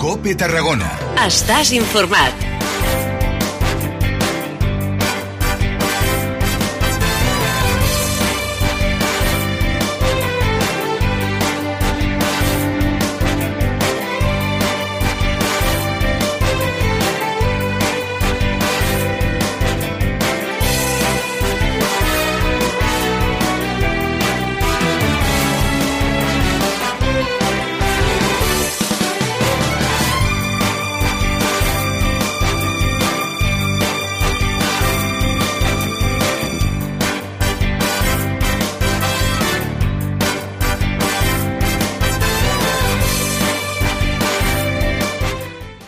COPE Tarragona. Estàs informat.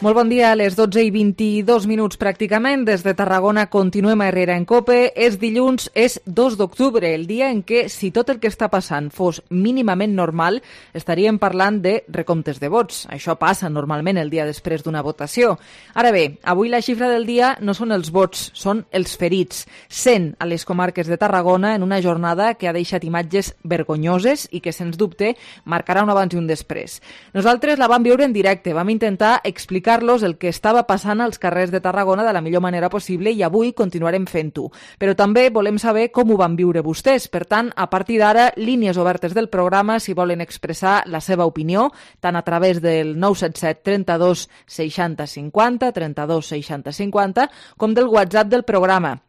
Molt bon dia, a les 12:22 pràcticament. Des de Tarragona continuem a Herrera en COPE. És dilluns, és 2 d'octubre, el dia en què, si tot el que està passant fos mínimament normal, estaríem parlant de recomptes de vots. Això passa normalment el dia després d'una votació. Ara bé, avui la xifra del dia no són els vots, són els ferits. 100 a les comarques de Tarragona en una jornada que ha deixat imatges vergonyoses i que, sens dubte, marcarà un abans i un després. Nosaltres la vam viure en directe, vam intentar explicar el que estava passant als carrers de Tarragona de la millor manera possible i avui continuarem fent-ho. Però també volem saber com ho van viure vostès. Per tant, a partir d'ara, línies obertes del programa si volen expressar la seva opinió, tant a través del 977 32 60 50, 32 60 50, com del WhatsApp del programa.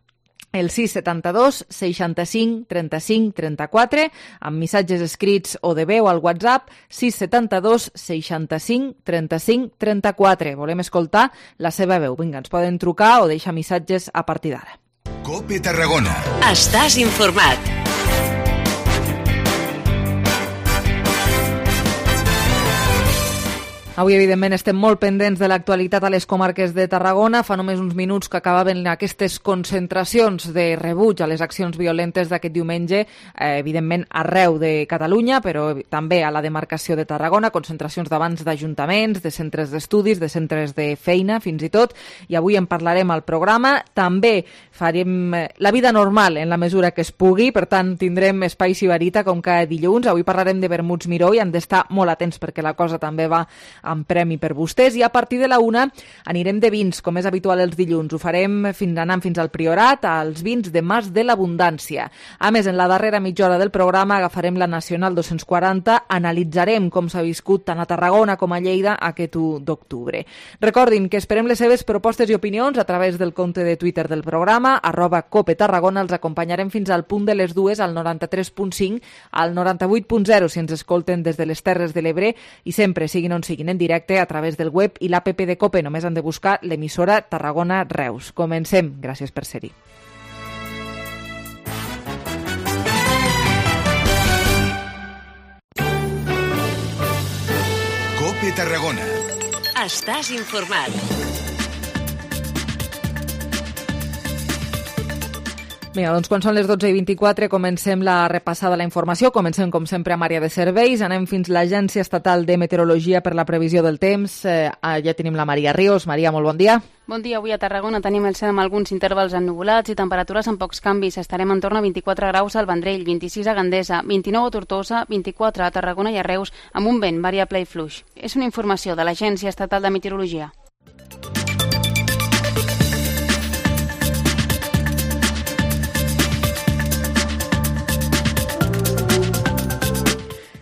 El 672 65 35 34, amb missatges escrits o de veu al WhatsApp, 672 65 35 34. Volem escoltar la seva veu. Vinga, ens poden trucar o deixar missatges a partir d'ara. COPE Tarragona. Estàs informat. Avui, evidentment, estem molt pendents de l'actualitat a les comarques de Tarragona. Fa només uns minuts que acabaven aquestes concentracions de rebuig a les accions violentes d'aquest diumenge, evidentment arreu de Catalunya, però també a la demarcació de Tarragona, concentracions davant d'ajuntaments, de centres d'estudis, de centres de feina, fins i tot, i avui en parlarem al programa. També farem la vida normal en la mesura que es pugui, per tant, tindrem espai Sibarita com cada dilluns. Avui parlarem de vermuts Miró i han d'estar molt atents perquè la cosa també va amb premi per vostès, i a partir de la 1 anirem de vins, com és habitual els dilluns. Ho farem anant fins al Priorat, als vins de Mas de l'Abundància. A més, en la darrera mitja hora del programa agafarem la Nacional 240, analitzarem com s'ha viscut tant a Tarragona com a Lleida aquest 1 d'octubre. Recordin que esperem les seves propostes i opinions a través del compte de Twitter del programa, @COPETarragona. Els acompanyarem fins al punt de les 2 al 93.5, al 98.0 si ens escolten des de les Terres de l'Ebre, i sempre, siguin on siguin, en directe a través del web i l'APP de COPE. Només han de buscar l'emissora Tarragona Reus. Comencem. Gràcies per ser-hi. COPE Tarragona. Estàs informat. Vinga, doncs quan són les 12:24 comencem la repassada de la informació. Comencem, com sempre, amb àrea de serveis. Anem fins a l'Agència Estatal de Meteorologia per la previsió del temps. Ja tenim la Maria Ríos. Maria, molt bon dia. Bon dia. Avui a Tarragona tenim el cel amb alguns intervals ennuvolats i temperatures amb pocs canvis. Estarem en torn a 24 graus al Vendrell, 26 a Gandesa, 29 a Tortosa, 24 a Tarragona i a Reus, amb un vent variable i fluix. És una informació de l'Agència Estatal de Meteorologia.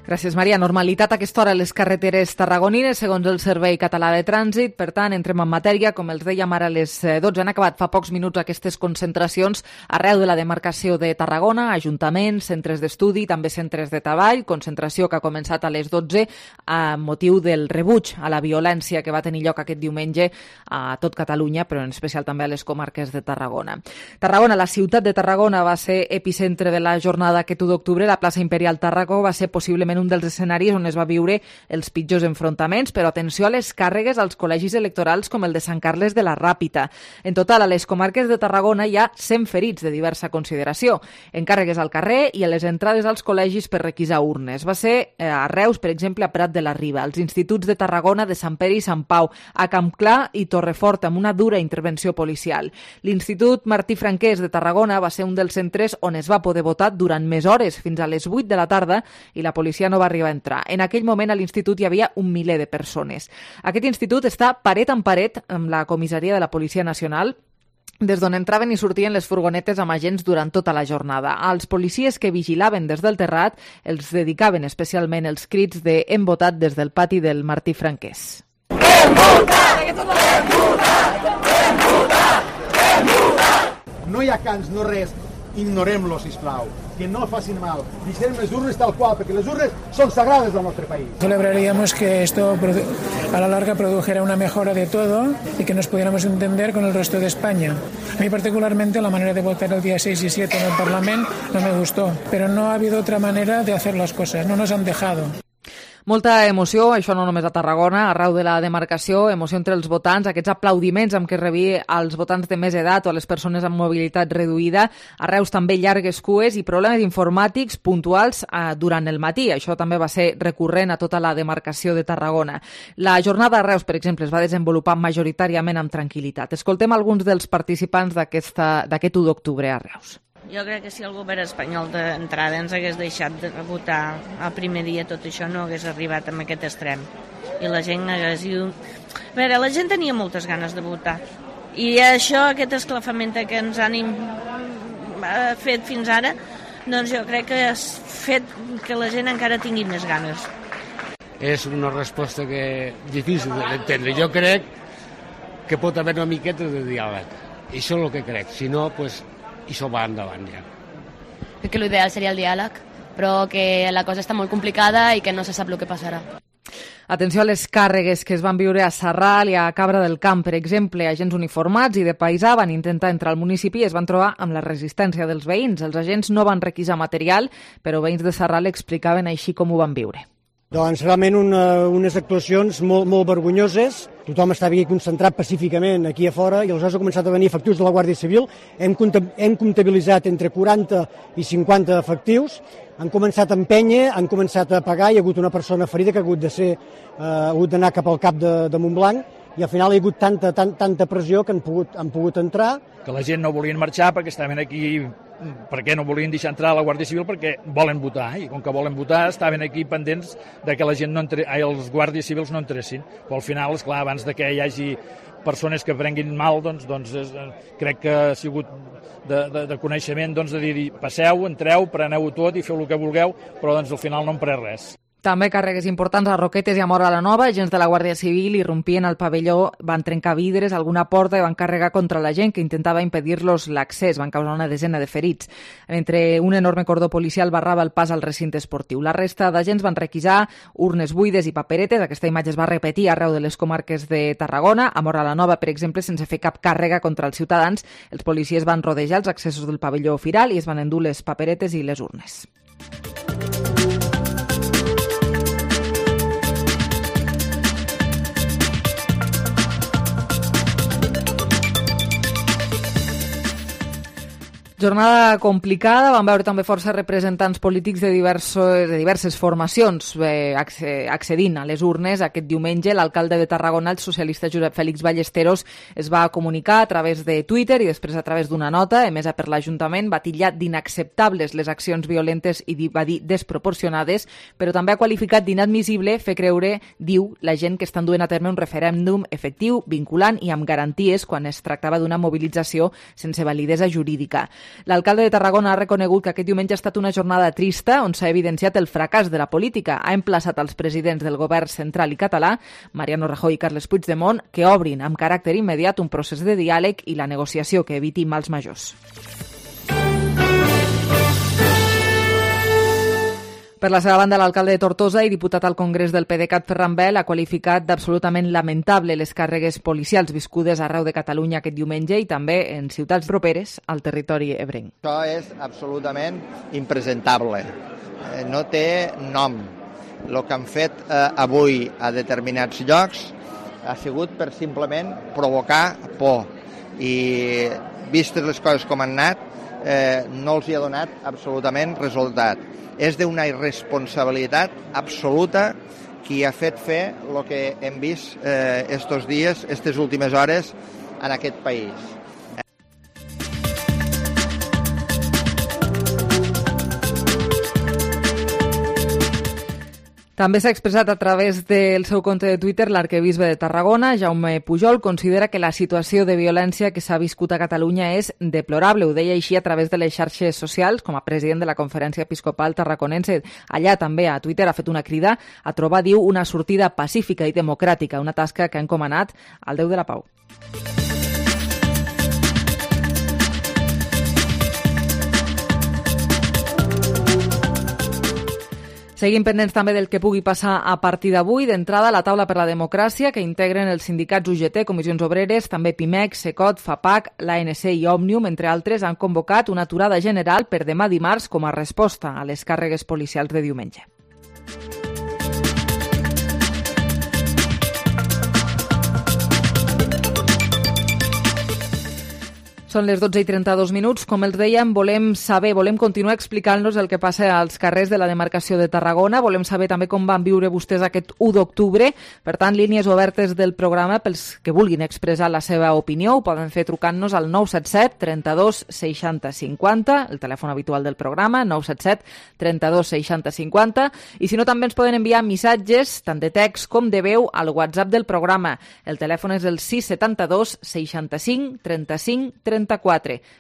Gràcies, Maria. Normalitat a aquesta hora a les carreteres tarragonines, segons el Servei Català de Trànsit. Per tant, entrem en matèria. Com els dèiem ara a les 12, han acabat fa pocs minuts aquestes concentracions arreu de la demarcació de Tarragona, ajuntaments, centres d'estudi, també centres de treball, concentració que ha començat a les 12 a motiu del rebuig a la violència que va tenir lloc aquest diumenge a tot Catalunya, però en especial també a les comarques de Tarragona. Tarragona, la ciutat de Tarragona, va ser epicentre de la jornada aquest 1 d'octubre. La plaça Imperial Tàrraco va ser possiblement un dels escenaris on es va viure els pitjors enfrontaments, però atenció a les càrregues als col·legis electorals com el de Sant Carles de la Ràpita. En total, a les comarques de Tarragona hi ha 100 ferits de diversa consideració, en càrregues al carrer i a les entrades als col·legis per requisar urnes. Va ser a Reus, per exemple, a Prat de la Riba, als instituts de Tarragona, de Sant Pere i Sant Pau, a Campclar i Torrefort, amb una dura intervenció policial. L'Institut Martí Franquès de Tarragona va ser un dels centres on es va poder votar durant més hores, fins a les 8 de la tarda, i la Policia no va arribar a entrar. En aquell moment a l'institut hi havia un miler de persones. Aquest institut està paret en paret amb la comissaria de la Policia Nacional, des d'on entraven i sortien les furgonetes amb agents durant tota la jornada. Els policies que vigilaven des del terrat els dedicaven especialment els crits de "hem votat" des del pati del Martí Franquès. Hem votat! Hem votat! Hem votat! Hem votat! No hi ha cants, no res. Ignorem-lo, sisplau. Que no facin mal. Deixem les urnes tal qual, perquè les urnes són sagrades del nostre país. Celebraríamos que esto a la larga produjera una mejora de todo y que nos pudiéramos entender con el resto de España. A mí particularmente la manera de votar el día 6 y 7 en el Parlamento no me gustó, pero no ha habido otra manera de hacer las cosas, no nos han dejado. Molta emoció, això no només a Tarragona, arreu de la demarcació, emoció entre els votants, aquests aplaudiments amb què rebia als votants de més edat o a les persones amb mobilitat reduïda, a Reus també llargues cues i problemes informàtics puntuals durant el matí. Això també va ser recurrent a tota la demarcació de Tarragona. La jornada a Reus, per exemple, es va desenvolupar majoritàriament amb tranquil·litat. Escoltem alguns dels participants d'aquest 1 d'octubre a Reus. Jo crec que si el govern espanyol d'entrada ens hagués deixat de votar el primer dia, tot això no hagués arribat a aquest extrem. I la gent hagués... A veure, la gent tenia moltes ganes de votar. I això, aquest esclafament que ens han fet fins ara, doncs jo crec que ha fet que la gent encara tingui més ganes. És una resposta difícil d'entendre. Jo crec que pot haver una miqueta de diàleg. I això és el que crec. Si no, doncs... i això va endavant ja. Crec que l'ideal seria el diàleg, però que la cosa està molt complicada i que no se sap el que passarà. Atenció a les càrregues que es van viure a Sarral i a Cabra del Camp. Per exemple, agents uniformats i de paisà van intentar entrar al municipi i es van trobar amb la resistència dels veïns. Els agents no van requisar material, però veïns de Sarral explicaven així com ho van viure. Doncs realment unes actuacions molt vergonyoses. Tothom estava aquí concentrat pacíficament aquí a fora i aleshores ha començat a venir efectius de la Guàrdia Civil. Hem comptabilitzat entre 40 i 50 efectius. Han començat a empènyer, han començat a pagar. Hi ha hagut una persona ferida que ha hagut d'anar cap al cap de Montblanc i al final hi ha hagut tanta pressió que han pogut entrar. Que la gent no volien marxar perquè estaven aquí, perquè no volien deixar entrar a la Guàrdia Civil perquè volen votar, i com que volen votar estaven aquí pendents de que la gent els guàrdies civils no entressin. Però al final, esclar, abans de que hi hagi persones que prenguin mal, doncs crec que ha sigut de coneixement de dir passeu, entreu, preneu-ho tot i feu el que vulgueu, però al final no en pres res. També càrregues importants a Roquetes i a Móra la Nova. Agents de la Guàrdia Civil irrompien al pavelló, van trencar vidres, alguna porta i van carregar contra la gent que intentava impedir-los l'accés. Van causar una desena de ferits. Mentre un enorme cordó policial barrava el pas al recinte esportiu. La resta d'agents van requisar urnes buides i paperetes. Aquesta imatge es va repetir arreu de les comarques de Tarragona. A Móra la Nova, per exemple, sense fer cap càrrega contra els ciutadans, els policies van rodejar els accessos del pavelló firal i es van endur les paperetes i les urnes. Jornada complicada, vam veure també força representants polítics de diverses formacions accedint a les urnes. Aquest diumenge l'alcalde de Tarragona, el socialista Josep Fèlix Ballesteros, es va comunicar a través de Twitter i després a través d'una nota emesa per l'Ajuntament. Va titllar d'inacceptables les accions violentes i va dir desproporcionades, però també ha qualificat d'inadmissible fer creure, diu, la gent que estan duent a terme un referèndum efectiu, vinculant i amb garanties quan es tractava d'una mobilització sense validesa jurídica. L'alcalde de Tarragona ha reconegut que aquest diumenge ha estat una jornada trista on s'ha evidenciat el fracàs de la política. Ha emplaçat als presidents del govern central i català, Mariano Rajoy i Carles Puigdemont, que obrin amb caràcter immediat un procés de diàleg i la negociació que eviti mals majors. Per la seva banda, l'alcalde de Tortosa i diputat al Congrés del PDeCAT, Ferran Bel, ha qualificat d'absolutament lamentable les càrregues policials viscudes arreu de Catalunya aquest diumenge i també en ciutats properes al territori ebrenc. Això és absolutament impresentable. No té nom. El que han fet avui a determinats llocs ha sigut per simplement provocar por. I vistes les coses com han anat, no els hi ha donat absolutament resultat. És d'una irresponsabilitat absoluta qui ha fet fer el que hem vist estos dies, aquestes últimes hores en aquest país. També s'ha expressat a través del seu compte de Twitter l'arquebisbe de Tarragona, Jaume Pujol, considera que la situació de violència que s'ha viscut a Catalunya és deplorable. Ho deia així a través de les xarxes socials, com a president de la Conferència Episcopal Tarraconense. Allà també a Twitter ha fet una crida a trobar, diu, una sortida pacífica i democràtica, una tasca que ha encomanat al Déu de la Pau. Seguim pendents també del que pugui passar a partir d'avui. D'entrada, la taula per la democràcia, que integren els sindicats UGT, Comissions Obreres, també PIMEC, SECOT, FAPAC, l'ANC i Òmnium, entre altres, han convocat una aturada general per demà dimarts com a resposta a les càrregues policials de diumenge. Són les 12:32. Com els dèiem, volem continuar explicant-nos el que passa als carrers de la demarcació de Tarragona. Volem saber també com van viure vostès aquest 1 d'octubre. Per tant, línies obertes del programa pels que vulguin expressar la seva opinió. Ho poden fer trucant-nos al 977 32 60 50, el telèfon habitual del programa, 977 32 60 50. I si no, també ens poden enviar missatges, tant de text com de veu, al WhatsApp del programa. El telèfon és el 672 65 35 34.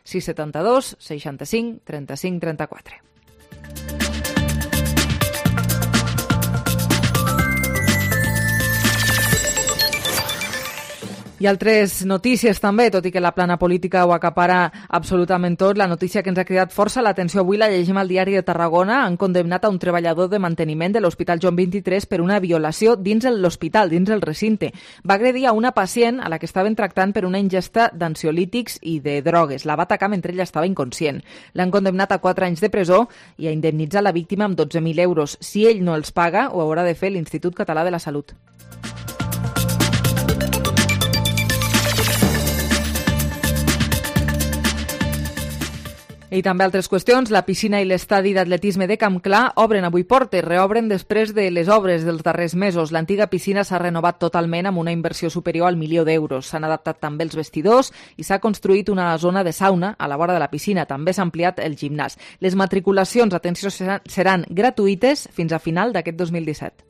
672 65 35 34. I altres notícies també, tot i que la plana política ho acapara absolutament tot. La notícia que ens ha cridat força l'atenció avui la llegim al Diari de Tarragona. Han condemnat a un treballador de manteniment de l'Hospital Joan 23 per una violació dins l'hospital, dins el recinte. Va agredir a una pacient a la que estaven tractant per una ingesta d'ansiolítics i de drogues. La va atacar mentre ella estava inconscient. L'han condemnat a 4 anys de presó i a indemnitzar la víctima amb 12.000 euros. Si ell no els paga, ho haurà de fer l'Institut Català de la Salut. I també altres qüestions. La piscina i l'estadi d'atletisme de Camp Clar obren avui portes, reobren després de les obres dels darrers mesos. L'antiga piscina s'ha renovat totalment amb una inversió superior al 1.000.000 d'euros. S'han adaptat també els vestidors i s'ha construït una zona de sauna a la vora de la piscina. També s'ha ampliat el gimnàs. Les matriculacions, atenció, seran gratuïtes fins a final d'aquest 2017.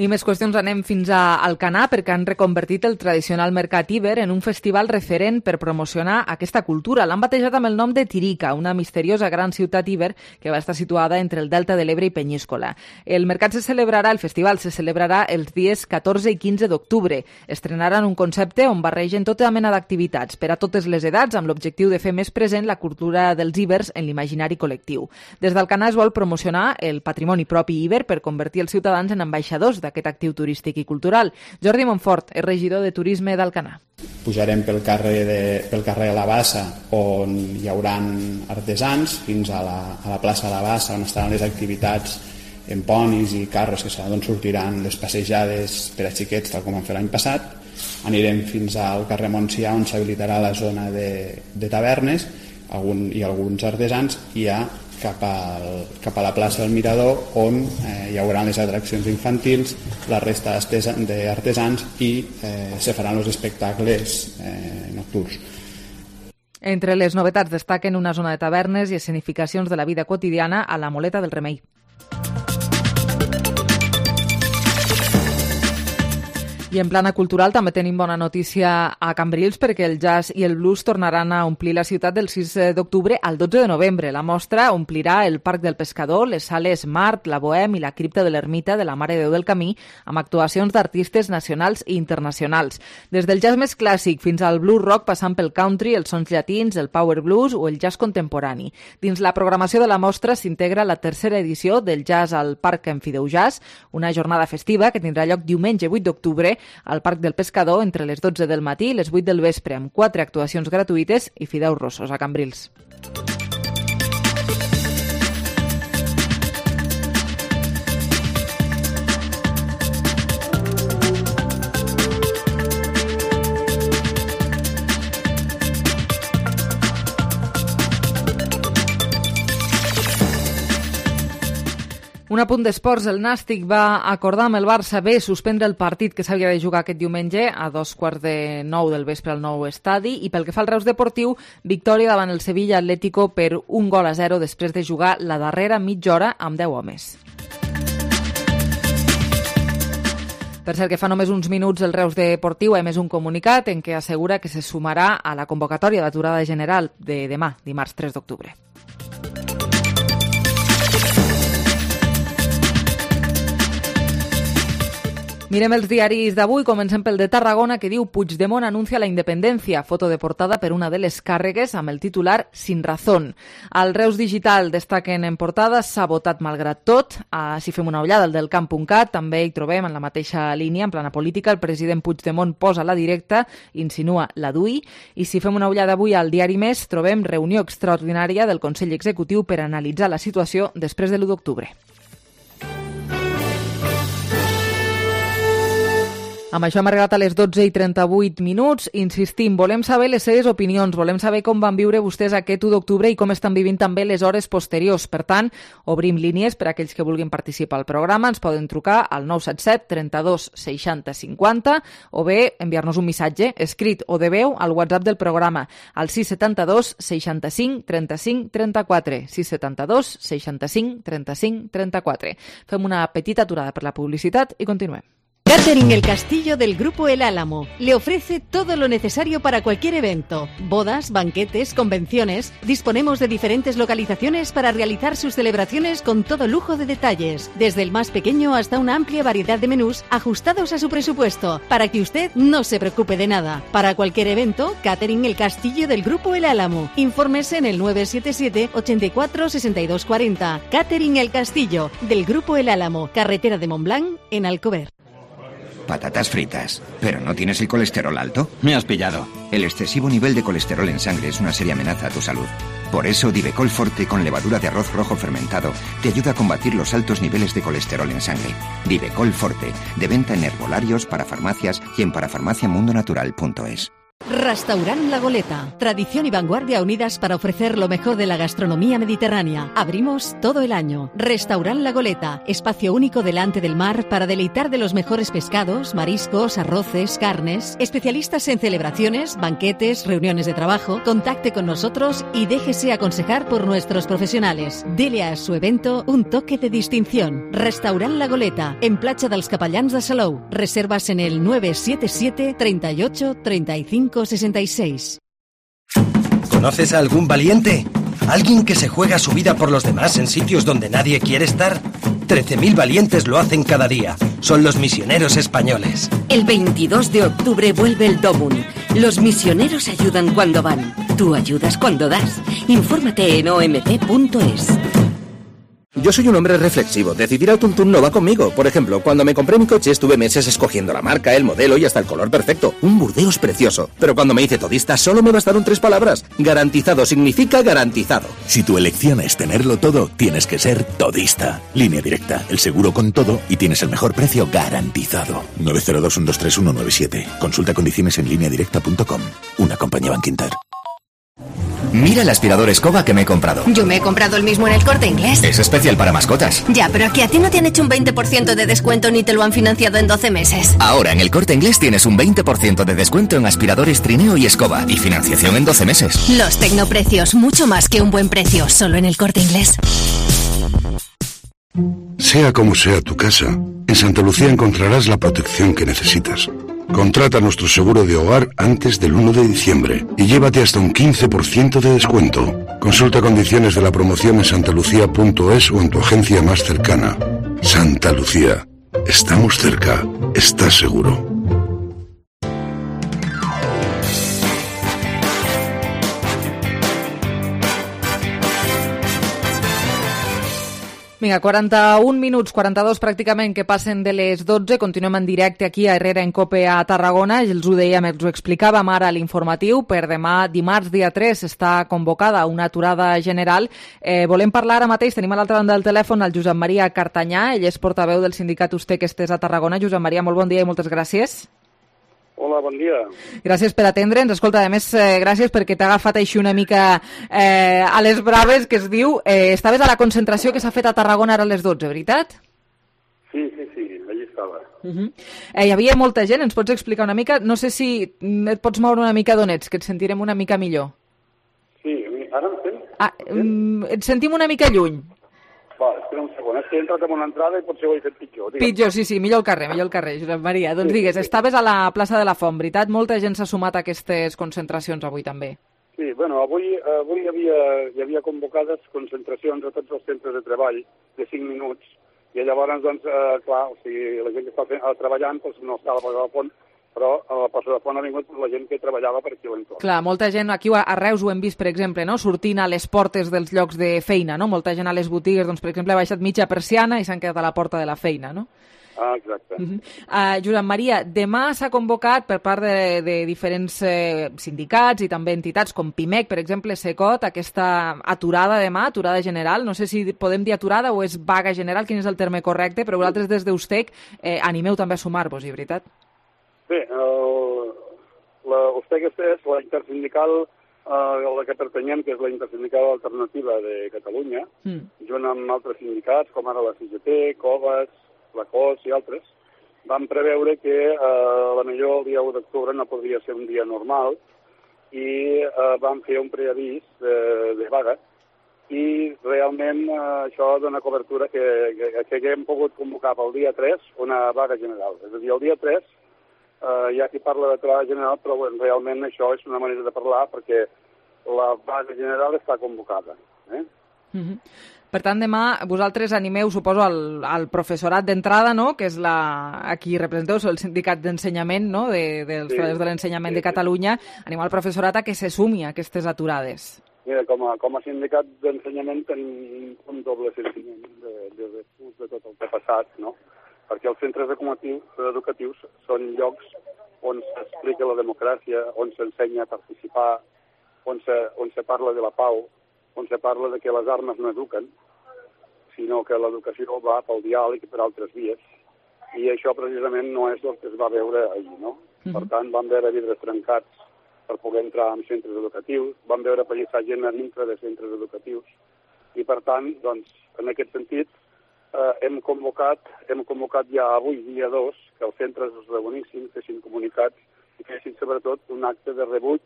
I més qüestions, anem fins a Alcanar, perquè han reconvertit el tradicional Mercat Iber en un festival referent per promocionar aquesta cultura. L'han batejat amb el nom de Tirica, una misteriosa gran ciutat Iber que va estar situada entre el Delta de l'Ebre i Penyíscola. El festival se celebrarà els dies 14 i 15 d'octubre. Estrenaran un concepte on barregen tota mena d'activitats per a totes les edats, amb l'objectiu de fer més present la cultura dels Ibers en l'imaginari col·lectiu. Des d'Alcanar es vol promocionar el patrimoni propi Iber per convertir els ciutadans en ambaixadors d'aquest actiu turístic i cultural. Jordi Montfort és regidor de Turisme d'Alcanar. Pujarem pel carrer de la Bassa, on hi haurà artesans, fins a la plaça de la Bassa, on estaran les activitats en ponis i carros, que d'on sortiran les passejades per a xiquets, tal com vam fer l'any passat. Anirem fins al carrer Montsià, on s'habilitarà la zona de tavernes i alguns artesans, i ja cap a la plaça del Mirador, on hi haurà les atraccions infantils, la resta d'artesans i se faran els espectacles nocturns. Entre les novetats destaquen una zona de tavernes i escenificacions de la vida quotidiana a la Moleta del Remei. I en plana cultural també tenim bona notícia a Cambrils, perquè el jazz i el blues tornaran a omplir la ciutat del 6 d'octubre al 12 de novembre. La mostra omplirà el Parc del Pescador, les sales Mart, la Bohem i la cripta de l'Ermita de la Mare de Déu del Camí, amb actuacions d'artistes nacionals i internacionals. Des del jazz més clàssic fins al blues rock, passant pel country, els sons llatins, el power blues o el jazz contemporani. Dins la programació de la mostra s'integra la tercera edició del Jazz al Parc Enfideu Jazz, una jornada festiva que tindrà lloc diumenge 8 d'octubre al Parc del Pescador entre les 12 del matí i les 8 del vespre, amb 4 actuacions gratuïtes i fideus rossos a Cambrils. Un apunt d'esports, el Nàstic va acordar amb el Barça B suspendre el partit que s'havia de jugar aquest diumenge a 8:45 del vespre al nou estadi, i pel que fa al Reus Deportiu, victòria davant el Sevilla Atlético per 1-0 després de jugar la darrera mitja hora amb 10 homes. Per cert, que fa només uns minuts el Reus Deportiu ha emès un comunicat en què assegura que se sumarà a la convocatòria d'aturada general de demà, dimarts 3 d'octubre. Mirem els diaris d'avui, comencem pel de Tarragona, que diu Puigdemont anuncia la independència, foto de portada per una de les càrregues amb el titular Sin razón. Al Reus Digital destaquen en portada s'ha votat malgrat tot. Si fem una ullada al del camp.cat, també hi trobem en la mateixa línia, en plana política, el president Puigdemont posa la directa, insinua la DUI, i si fem una ullada avui al diari Més, trobem reunió extraordinària del Consell Executiu per analitzar la situació després de l'1 d'octubre. Amb això hem arribat a les 12:38. Insistim, volem saber les seves opinions, volem saber com van viure vostès aquest 1 d'octubre i com estan vivint també les hores posteriors. Per tant, obrim línies per a aquells que vulguin participar al programa. Ens poden trucar al 977 32 60 50 o bé enviar-nos un missatge escrit o de veu al WhatsApp del programa al 672 65 35 34. 672 65 35 34. Fem una petita aturada per la publicitat i continuem. Catering El Castillo del Grupo El Álamo le ofrece todo lo necesario para cualquier evento. Bodas, banquetes, convenciones. Disponemos de diferentes localizaciones para realizar sus celebraciones con todo lujo de detalles. Desde el más pequeño hasta una amplia variedad de menús ajustados a su presupuesto, para que usted no se preocupe de nada. Para cualquier evento, Catering El Castillo del Grupo El Álamo. Infórmese en el 977 84 62 40. Catering El Castillo del Grupo El Álamo, carretera de Montblanc, en Alcover. Patatas fritas. ¿Pero no tienes el colesterol alto? Me has pillado. El excesivo nivel de colesterol en sangre es una seria amenaza a tu salud. Por eso, Divecol Forte con levadura de arroz rojo fermentado te ayuda a combatir los altos niveles de colesterol en sangre. Divecol Forte, de venta en herbolarios, parafarmacias y en parafarmaciamundonatural.es. Restaurant La Goleta. Tradición y vanguardia unidas para ofrecer lo mejor de la gastronomía mediterránea. Abrimos todo el año. Restaurant La Goleta. Espacio único delante del mar para deleitar de los mejores pescados, mariscos, arroces, carnes. Especialistas en celebraciones, banquetes, reuniones de trabajo. Contacte con nosotros y déjese aconsejar por nuestros profesionales. Dele a su evento un toque de distinción. Restaurant La Goleta. En Platja dels Capellans de Salou. Reservas en el 977 38 35 66. ¿Conoces a algún valiente? ¿Alguien que se juega su vida por los demás en sitios donde nadie quiere estar? 13.000 valientes lo hacen cada día. Son los misioneros españoles. El 22 de octubre vuelve el DOMUN. Los misioneros ayudan cuando van. Tú ayudas cuando das. Infórmate en omt.es. Yo soy un hombre reflexivo. Decidir al tuntún no va conmigo. Por ejemplo, cuando me compré mi coche estuve meses escogiendo la marca, el modelo y hasta el color perfecto. Un Burdeos precioso. Pero cuando me hice todista solo me bastaron 3 palabras. Garantizado significa garantizado. Si tu elección es tenerlo todo, tienes que ser todista. Línea Directa, el seguro con todo y tienes el mejor precio garantizado. 902-123-197. Consulta condiciones en lineadirecta.com. Una compañía Bankinter. Mira el aspirador escoba que me he comprado. Yo me he comprado el mismo en el Corte Inglés. Es especial para mascotas. Ya, pero aquí a ti no te han hecho un 20% de descuento ni te lo han financiado en 12 meses. Ahora en el Corte Inglés tienes un 20% de descuento en aspiradores, trineo y escoba y financiación en 12 meses. Los tecnoprecios, mucho más que un buen precio, solo en el Corte Inglés. Sea como sea tu casa, en Santa Lucía encontrarás la protección que necesitas. Contrata nuestro seguro de hogar antes del 1 de diciembre y llévate hasta un 15% de descuento. Consulta condiciones de la promoción en santalucía.es o en tu agencia más cercana. Santa Lucía. Estamos cerca. ¿Estás seguro? Vinga, 41 minuts, 42 pràcticament que passen de les 12. Continuem en directe aquí a Herrera en Cope a Tarragona. Els ho dèiem, els ho explicàvem ara a l'informatiu. Per demà, dimarts, dia 3, està convocada una aturada general. Volem parlar ara mateix, tenim a l'altra banda del telèfon el Josep Maria Cartanyà. Ell és portaveu del sindicat Usted que estés a Tarragona. Josep Maria, molt bon dia i moltes gràcies. Hola, bon dia. Gràcies per atendre'ns. Escolta, a més, gràcies perquè t'ha agafat així una mica a les braves, que es diu. Estaves a la concentració que s'ha fet a Tarragona ara a les 12, veritat? Sí, allí estava. Hi havia molta gent, ens pots explicar una mica? No sé si et pots moure una mica d'on ets, que et sentirem una mica millor. Sí, ara em sent? Et sentim una mica lluny. Va, espera un segon, és que he entrat en una entrada i potser ho he fet pitjor. Pitjor, sí, millor el carrer, Josep Maria. Doncs digues, estaves a la plaça de la Font, veritat? Molta gent s'ha sumat a aquestes concentracions avui també. Sí, bueno, avui hi havia convocades concentracions a tots els centres de treball de 5 minuts i llavors, doncs, clar, o sigui, la gent que està treballant doncs, no està a la plaça de la Font, però a la plaça de la Font ha vingut la gent que treballava per aquí a l'entorn. Clar, molta gent, aquí a Reus ho hem vist, per exemple, no? Sortint a les portes dels llocs de feina, no? Molta gent a les botigues, doncs, per exemple, ha baixat mitja persiana i s'han quedat a la porta de la feina, no? Ah, exacte. Josep Maria, demà s'ha convocat per part de diferents sindicats i també entitats com PIMEC, per exemple, SECOT, aquesta aturada demà, aturada general. No sé si podem dir aturada o és vaga general, quin és el terme correcte, però vosaltres des d'USTEC animeu també a sumar-vos-hi, veritat? Bé, l'USTEC és la intersindical a la que pertanyem, que és la intersindical alternativa de Catalunya, junt amb altres sindicats, com ara la CGT, COVAS, la COS i altres, van preveure que la millor el dia 1 d'octubre no podria ser un dia normal i van fer un preavís de vaga i realment això dona cobertura que haguem pogut convocar pel dia 3 una vaga general. És a dir, el dia 3 hi ha qui parla de vaga general, però realment això és una manera de parlar perquè la vaga general està convocada. Per tant, demà vosaltres animeu, suposo, al professorat d'entrada, no?, que és a qui representeu, el sindicat d'ensenyament, no?, dels treballadors de l'ensenyament de Catalunya, animeu al professorat a que se sumi a aquestes aturades. Mira, com a sindicat d'ensenyament tenim un doble sentiment de tot el que ha passat, no?, perquè els centres educatius són llocs on s'explica la democràcia, on s'ensenya a participar, on se parla de la pau, on se parla de que les armes no eduquen, sinó que l'educació va pel diàleg i per altres vies. I això precisament no és el que es va veure ahir, no? Per tant, vam veure vidres trencats per poder entrar en centres educatius, vam veure pallissar gent a dintre de centres educatius, i per tant, doncs, en aquest sentit, hem convocat ja avui, dia 2, que els centres es reunissin, fessin comunicats i fessin sobretot un acte de rebuig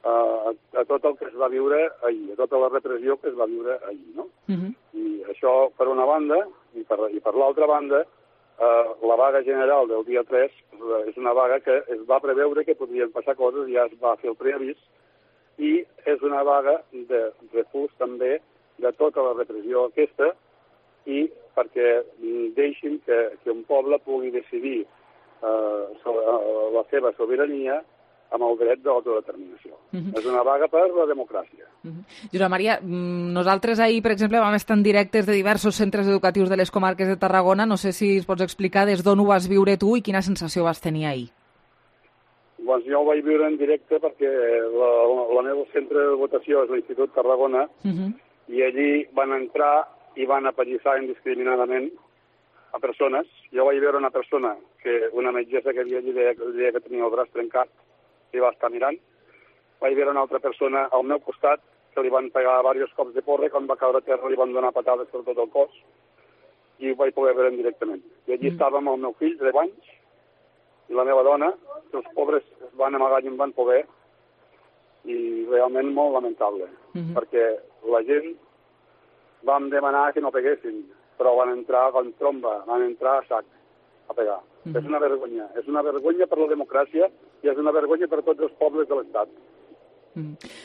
a tot el que es va viure ahir, a tota la repressió que es va viure ahir, no? I això per una banda, i per l'altra banda, la vaga general del dia 3 és una vaga que es va preveure que podrien passar coses, ja es va fer el preavís, i és una vaga de refús també de tota la repressió aquesta i perquè deixin que un poble pugui decidir la seva sobirania amb el dret d'autodeterminació. És una vaga per la democràcia. Josep Maria, nosaltres ahir, per exemple, vam estar en directes de diversos centres educatius de les comarques de Tarragona. No sé si es pots explicar des d'on ho vas viure tu i quina sensació vas tenir ahir. Doncs jo ho vaig viure en directe perquè el meu centre de votació és l'Institut Tarragona i allí van entrar i van apallissar indiscriminadament a persones. Jo vaig veure una persona, una metgessa que havia deia que tenia el braç trencat, i va estar mirant. Vaig veure una altra persona al meu costat que li van pegar diversos cops de porra, quan va caure a terra li van donar patades per tot el cos i ho vaig poder veure directament. I allí estàvem el meu fill, de 10 anys, i la meva dona, que els pobres es van amagar i em van poder, i realment molt lamentable, perquè la gent vam demanar que no peguessin, però van entrar con tromba, van entrar a sac a pegar. És una vergonya per la democràcia i és una vergonya per tots els pobles de l'Estat.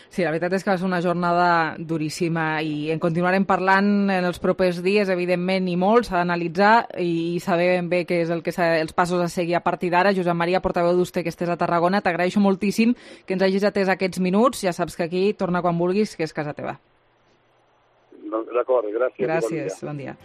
Sí, la veritat és que va ser una jornada duríssima i en continuarem parlant en els propers dies, evidentment, i molt. S'ha d'analitzar i saber ben bé què és els passos a seguir a partir d'ara. Josep Maria, portaveu d'USTEC, que estés a Tarragona, t'agraeixo moltíssim que ens hagis atès aquests minuts. Ja saps que aquí torna quan vulguis, que és casa teva. D'acord, gràcies. Gràcies, bon dia.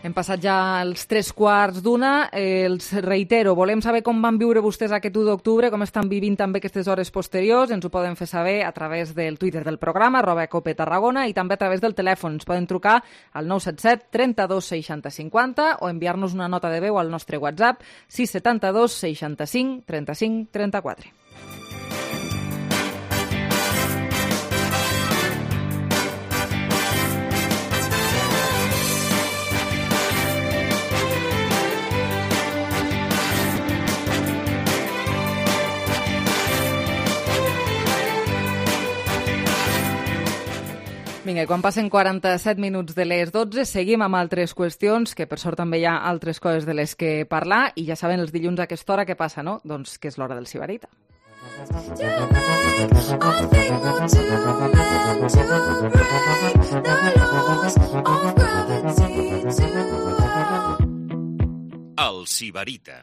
Hem passat ja els 3:15. Els reitero, volem saber com van viure vostès aquest 1 d'octubre, com estan vivint també aquestes hores posteriors. Ens ho poden fer saber a través del Twitter del programa, @copetarragona, i també a través del telèfon. Ens poden trucar al 977 32 60 50 o enviar-nos una nota de veu al nostre WhatsApp 672 65 35 34. Vinga, i quan passen 47 minuts de les 12, seguim amb altres qüestions, que per sort també hi ha altres coses de les que parlar, i ja saben els dilluns a aquesta hora què passa, no? Doncs que és l'hora del Sibarita. El Sibarita.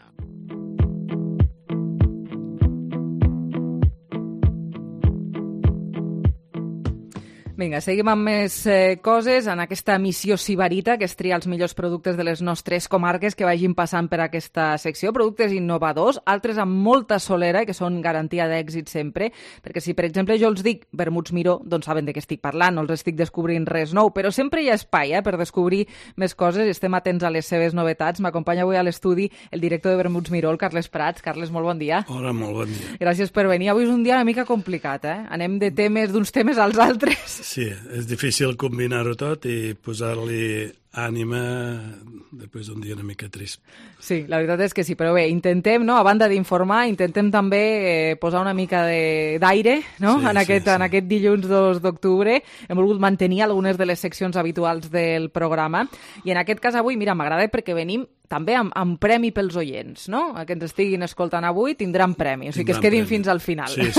Vinga, seguim amb més coses en aquesta missió Sibarita, que és triar els millors productes de les nostres comarques que vagin passant per aquesta secció, productes innovadors, altres amb molta solera i que són garantia d'èxit sempre, perquè si, per exemple, jo els dic vermuts Miró, doncs saben de què estic parlant, no els estic descobrint res nou, però sempre hi ha espai per descobrir més coses i estem atents a les seves novetats. M'acompanya avui a l'estudi el director de Vermuts Miró, el Carles Prats. Carles, molt bon dia. Hola, molt bon dia. Gràcies per venir. Avui és un dia una mica complicat, Anem de d'uns temes als altres. Sí, és difícil combinar-ho tot i posar-li ànima després d'un dia una mica trist. Sí, la veritat és que sí, però bé, intentem, no, a banda d'informar, intentem també posar una mica d'aire, no?, sí, en aquest dilluns 2 d'octubre. Hem volgut mantenir algunes de les seccions habituals del programa i en aquest cas avui, mira, m'agrada perquè venim també amb premi pels oients, no? Que ens estiguin escoltant avui tindran premi, o sigui que es quedin fins al final. Sí.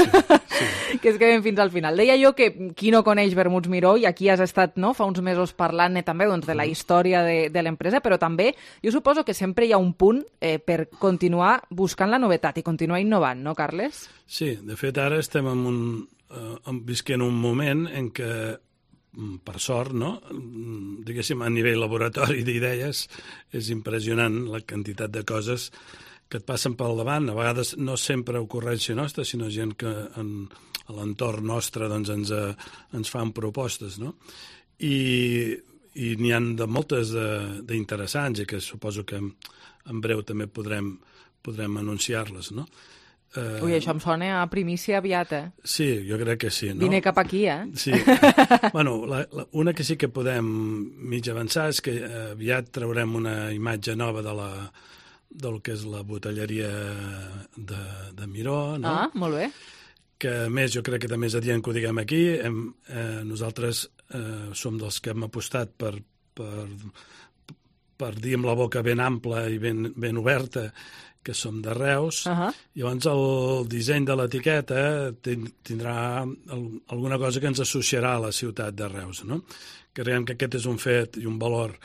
Que es quedin fins al final. Deia jo que qui no coneix Vermuts Miró, i aquí has estat, no, fa uns mesos parlant també doncs, de la història de l'empresa, però també jo suposo que sempre hi ha un punt per continuar buscant la novetat i continuar innovant, no, Carles? Sí, de fet ara estem visquent un moment en què, per sort, no? Diguéssim, a nivell laboratori d'idees, és impressionant la quantitat de coses que et passen pel davant. A vegades no sempre ocurrència nostra, sinó gent que a l'entorn nostre doncs, ens fan propostes, no? I n'hi ha de moltes d'interessants i que suposo que en breu també podrem anunciar-les, no? Ui, això em sona a primícia aviat, Sí, jo crec que sí, no? Vine cap aquí, Sí. Bueno, una que sí que podem mig avançar és que aviat traurem una imatge nova del que és la botelleria de Miró, no? Ah, molt bé. Que, a més, jo crec que també és adient que ho diguem aquí. Nosaltres som dels que hem apostat per dir amb la boca ben ampla i ben oberta que som de Reus. Llavors el disseny de l'etiqueta tindrà alguna cosa que ens associarà a la ciutat de Reus, no? Creiem que aquest és un fet i un valor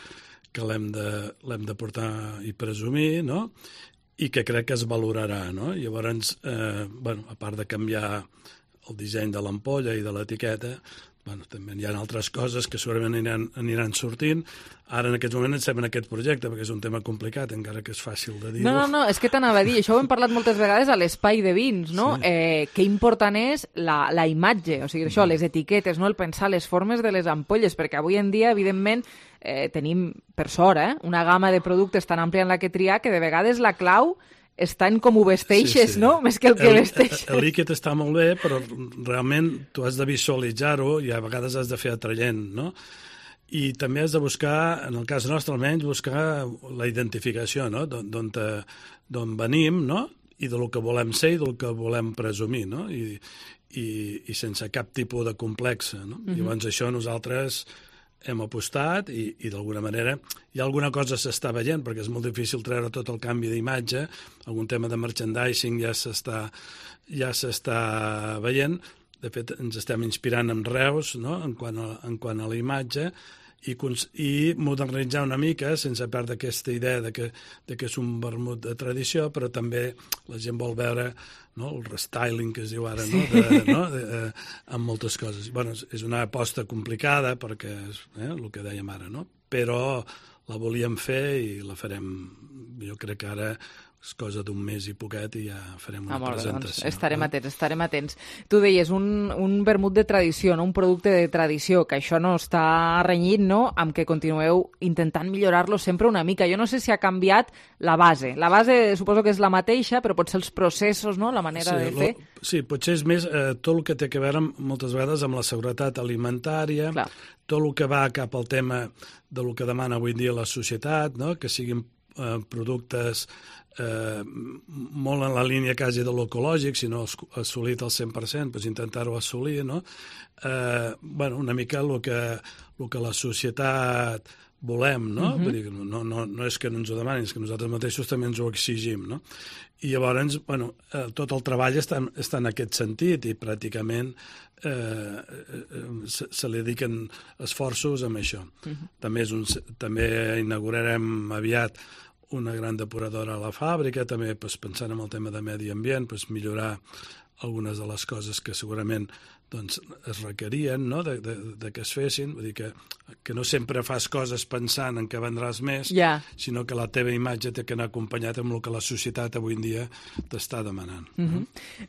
que l'hem de portar i presumir, no? I que crec que es valorarà, no? Llavors, a part de canviar el disseny de l'ampolla i de l'etiqueta, també hi ha altres coses que segurament aniran sortint. Ara, en aquest moment, estem en aquest projecte, perquè és un tema complicat, encara que és fàcil de dir-ho. No, és que t'anava a dir, això ho hem parlat moltes vegades a l'espai de vins, no? Sí. Que important és la imatge, o sigui, això, les etiquetes, no? El pensar les formes de les ampolles, perquè avui en dia, evidentment, tenim, per sort, una gamma de productes tan àmplia en la que triar que de vegades la clau està en com ho vesteixes, sí. No? Més que el que vesteixes. El líquid està molt bé, però realment tu has de visualitzar-ho i a vegades has de fer atraient, no? I també has de buscar, en el cas nostre almenys, buscar la identificació, no? D'on venim, no? I del que volem ser i del que volem presumir, no? I sense cap tipus de complexa, no? Llavors això nosaltres hem apostat i d'alguna manera hi ha alguna cosa s'està veient, perquè és molt difícil treure tot el canvi d'imatge, algun tema de merchandising ja s'està veient. De fet, ens estem inspirant en Reus, no? en quant a la imatge, i modernitzar una mica, sense perdre aquesta idea de que és un vermut de tradició, però també la gent vol veure, no? El restyling que es diu ara, amb moltes coses. Bueno, és una aposta complicada, perquè és el que dèiem ara, no? Però la volíem fer i la farem, jo crec que ara és cosa d'un mes i poquet i ja farem una presentació. Doncs estarem atents. Tu deies, un vermut de tradició, no? Un producte de tradició, que això no està renyit, no?, amb que continueu intentant millorar-lo sempre una mica. Jo no sé si ha canviat la base. La base suposo que és la mateixa, però potser els processos, no?, la manera de fer. Sí, potser és més tot el que té a veure moltes vegades amb la seguretat alimentària, tot el que va cap al tema del que demana avui dia la societat, no?, que siguin productes molt en la línia quasi de l'ecològic, si no assolit al 100%, doncs intentar-ho assolir, no? Una mica el que la societat volem, no? Vull dir, no és que no ens ho demanin, és que nosaltres mateixos també ens ho exigim, no? I llavors, tot el treball està en aquest sentit i pràcticament se li dediquen esforços amb això. També inaugurarem aviat una gran depuradora a la fàbrica, també pensant en el tema de medi ambient, millorar algunes de les coses que segurament es requerien, no?, de que es fessin. Vull dir que no sempre fas coses pensant en què vendràs més, sinó que la teva imatge té que anar acompanyat amb el que la societat avui en dia t'està demanant.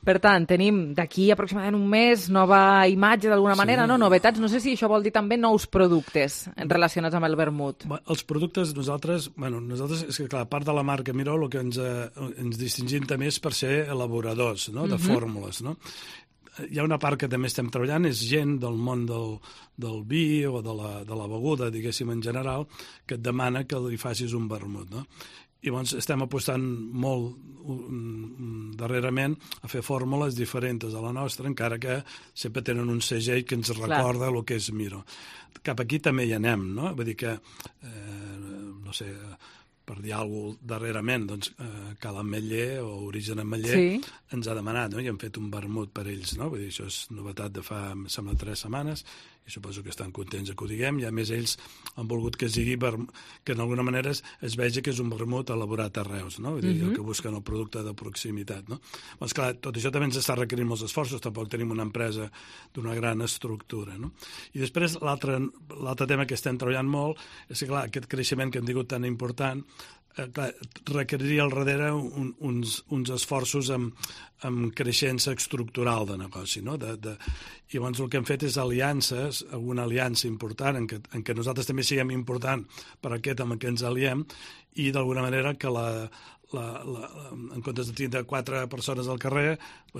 Per tant, tenim d'aquí aproximadament un mes nova imatge d'alguna manera, no? Novetats. No sé si això vol dir també nous productes relacionats amb el vermut. Els productes, nosaltres, és que clar, a part de la marca Miró, el que ens distingim també és per ser elaboradors, no?, de fórmules, no? Hi ha una part que també estem treballant, és gent del món del vi o de la beguda, diguéssim, en general, que et demana que li facis un vermut, no? I llavors estem apostant molt darrerament a fer fórmules diferents a la nostra, encara que sempre tenen un segell que ens recorda el que és Miró. Cap aquí també hi anem, no? Vull dir que, no sé, per dir alguna cosa darrerament, doncs Cal Ametller o Origen Ametller ens ha demanat, no?, i hem fet un vermut per ells, no? Vull dir, això és novetat de fa, em sembla, 3 setmanes, i suposo que estan contents que ho diguem, i a més ells han volgut que sigui, que d'alguna manera es vegi que és un vermut elaborat a Reus, no? Vull dir, el que busquen el producte de proximitat, no? Doncs clar, tot això també ens està requerint molts esforços, tampoc tenim una empresa d'una gran estructura, no? I després l'altre tema que estem treballant molt és que, clar, aquest creixement que hem tingut tan important requeriria al darrere uns esforços amb creixença estructural de negoci, no? I llavors el que hem fet és aliances, alguna aliança important en què nosaltres també siguem important per aquest amb què ens aliem i d'alguna manera que en comptes de tindre 4 persones al carrer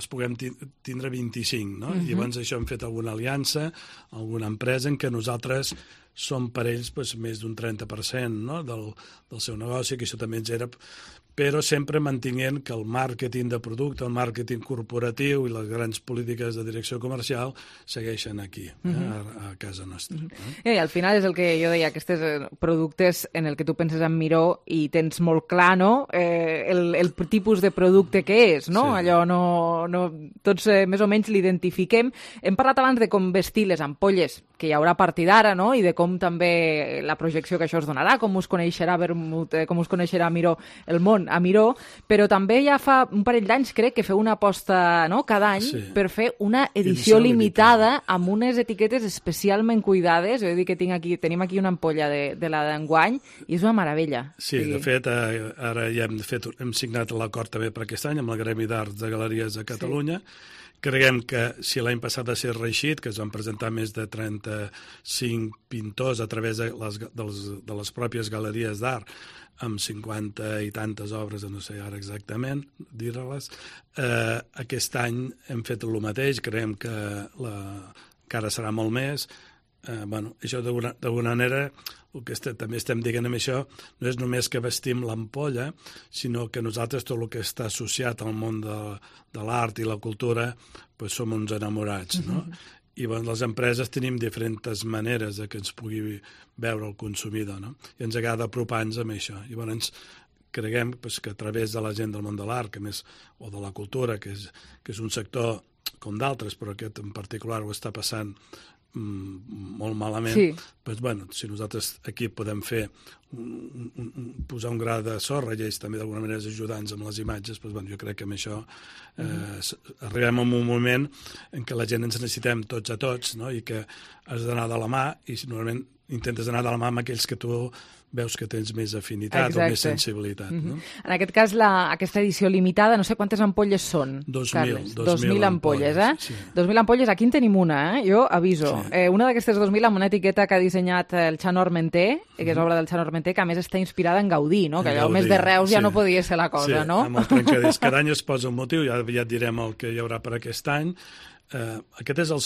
puguem tindre 25, no? I llavors això hem fet alguna aliança, alguna empresa en què nosaltres som per ells més d'un 30%, no?, del seu negoci, que això també ens era, però sempre mantinguent que el màrqueting de producte, el màrqueting corporatiu i les grans polítiques de direcció comercial segueixen aquí, a casa nostra. Al final és el que jo deia, aquests productes en el que tu penses en Miró i tens molt clar, no?, el tipus de producte que és, no? Allò tots més o menys l'identifiquem. Hem parlat abans de com vestir les ampolles que hi haurà a partir d'ara, no?, i de com també la projecció que això es donarà, com us coneixerà Vermut, com us coneixerà Miró, el món a Miró, però també ja fa un parell d'anys, crec, que feu una aposta, no?, cada any per fer una edició limitada amb unes etiquetes especialment cuidades. Jo he dit que tenim aquí una ampolla de la d'enguany i és una meravella. Sí, de fet, ara ja hem signat l'acord també per aquest any amb el Gremi d'Arts de Galeries de Catalunya. Creiem que si l'any passat va ser reeixit, que es van presentar més de 35 pintors a través de les pròpies galeries d'art, amb 50 i tantes obres, no sé ara exactament dir-les, aquest any hem fet el mateix, creiem que encara serà molt més. Això d'alguna manera, el que també estem dient amb això, no és només que vestim l'ampolla, sinó que nosaltres tot el que està associat al món de l'art i la cultura som uns enamorats, no? I les empreses tenim diferents maneres que ens pugui veure el consumidor, no? I ens agrada apropar-nos amb això. I llavors creiem que a través de la gent del món de l'art, o de la cultura, que és un sector com d'altres, però aquest en particular ho està passant molt malament, si nosaltres aquí podem posar un gra de sorra i ells també d'alguna manera ajudar-nos amb les imatges, jo crec que amb això arribem a un moment en què la gent ens necessitem tots a tots, no?, i que has d'anar de la mà i normalment intentes anar de la mà amb aquells que tu veus que tens més afinitat o més sensibilitat. No? En aquest cas, aquesta edició limitada, no sé quantes ampolles són, 2.000, Carles. 2.000 ampolles, Sí. 2.000 ampolles, aquí en tenim una, jo aviso. Sí. Una d'aquestes 2.000 amb una etiqueta que ha dissenyat el Xano Armenté, que és obra del Xano Armenté, que a més està inspirada en Gaudí, no? Que allò més de Reus ja no podia ser la cosa, no? Sí, amb el trencadís. Cada any es posa un motiu, ja et direm el que hi haurà per aquest any. Aquest ha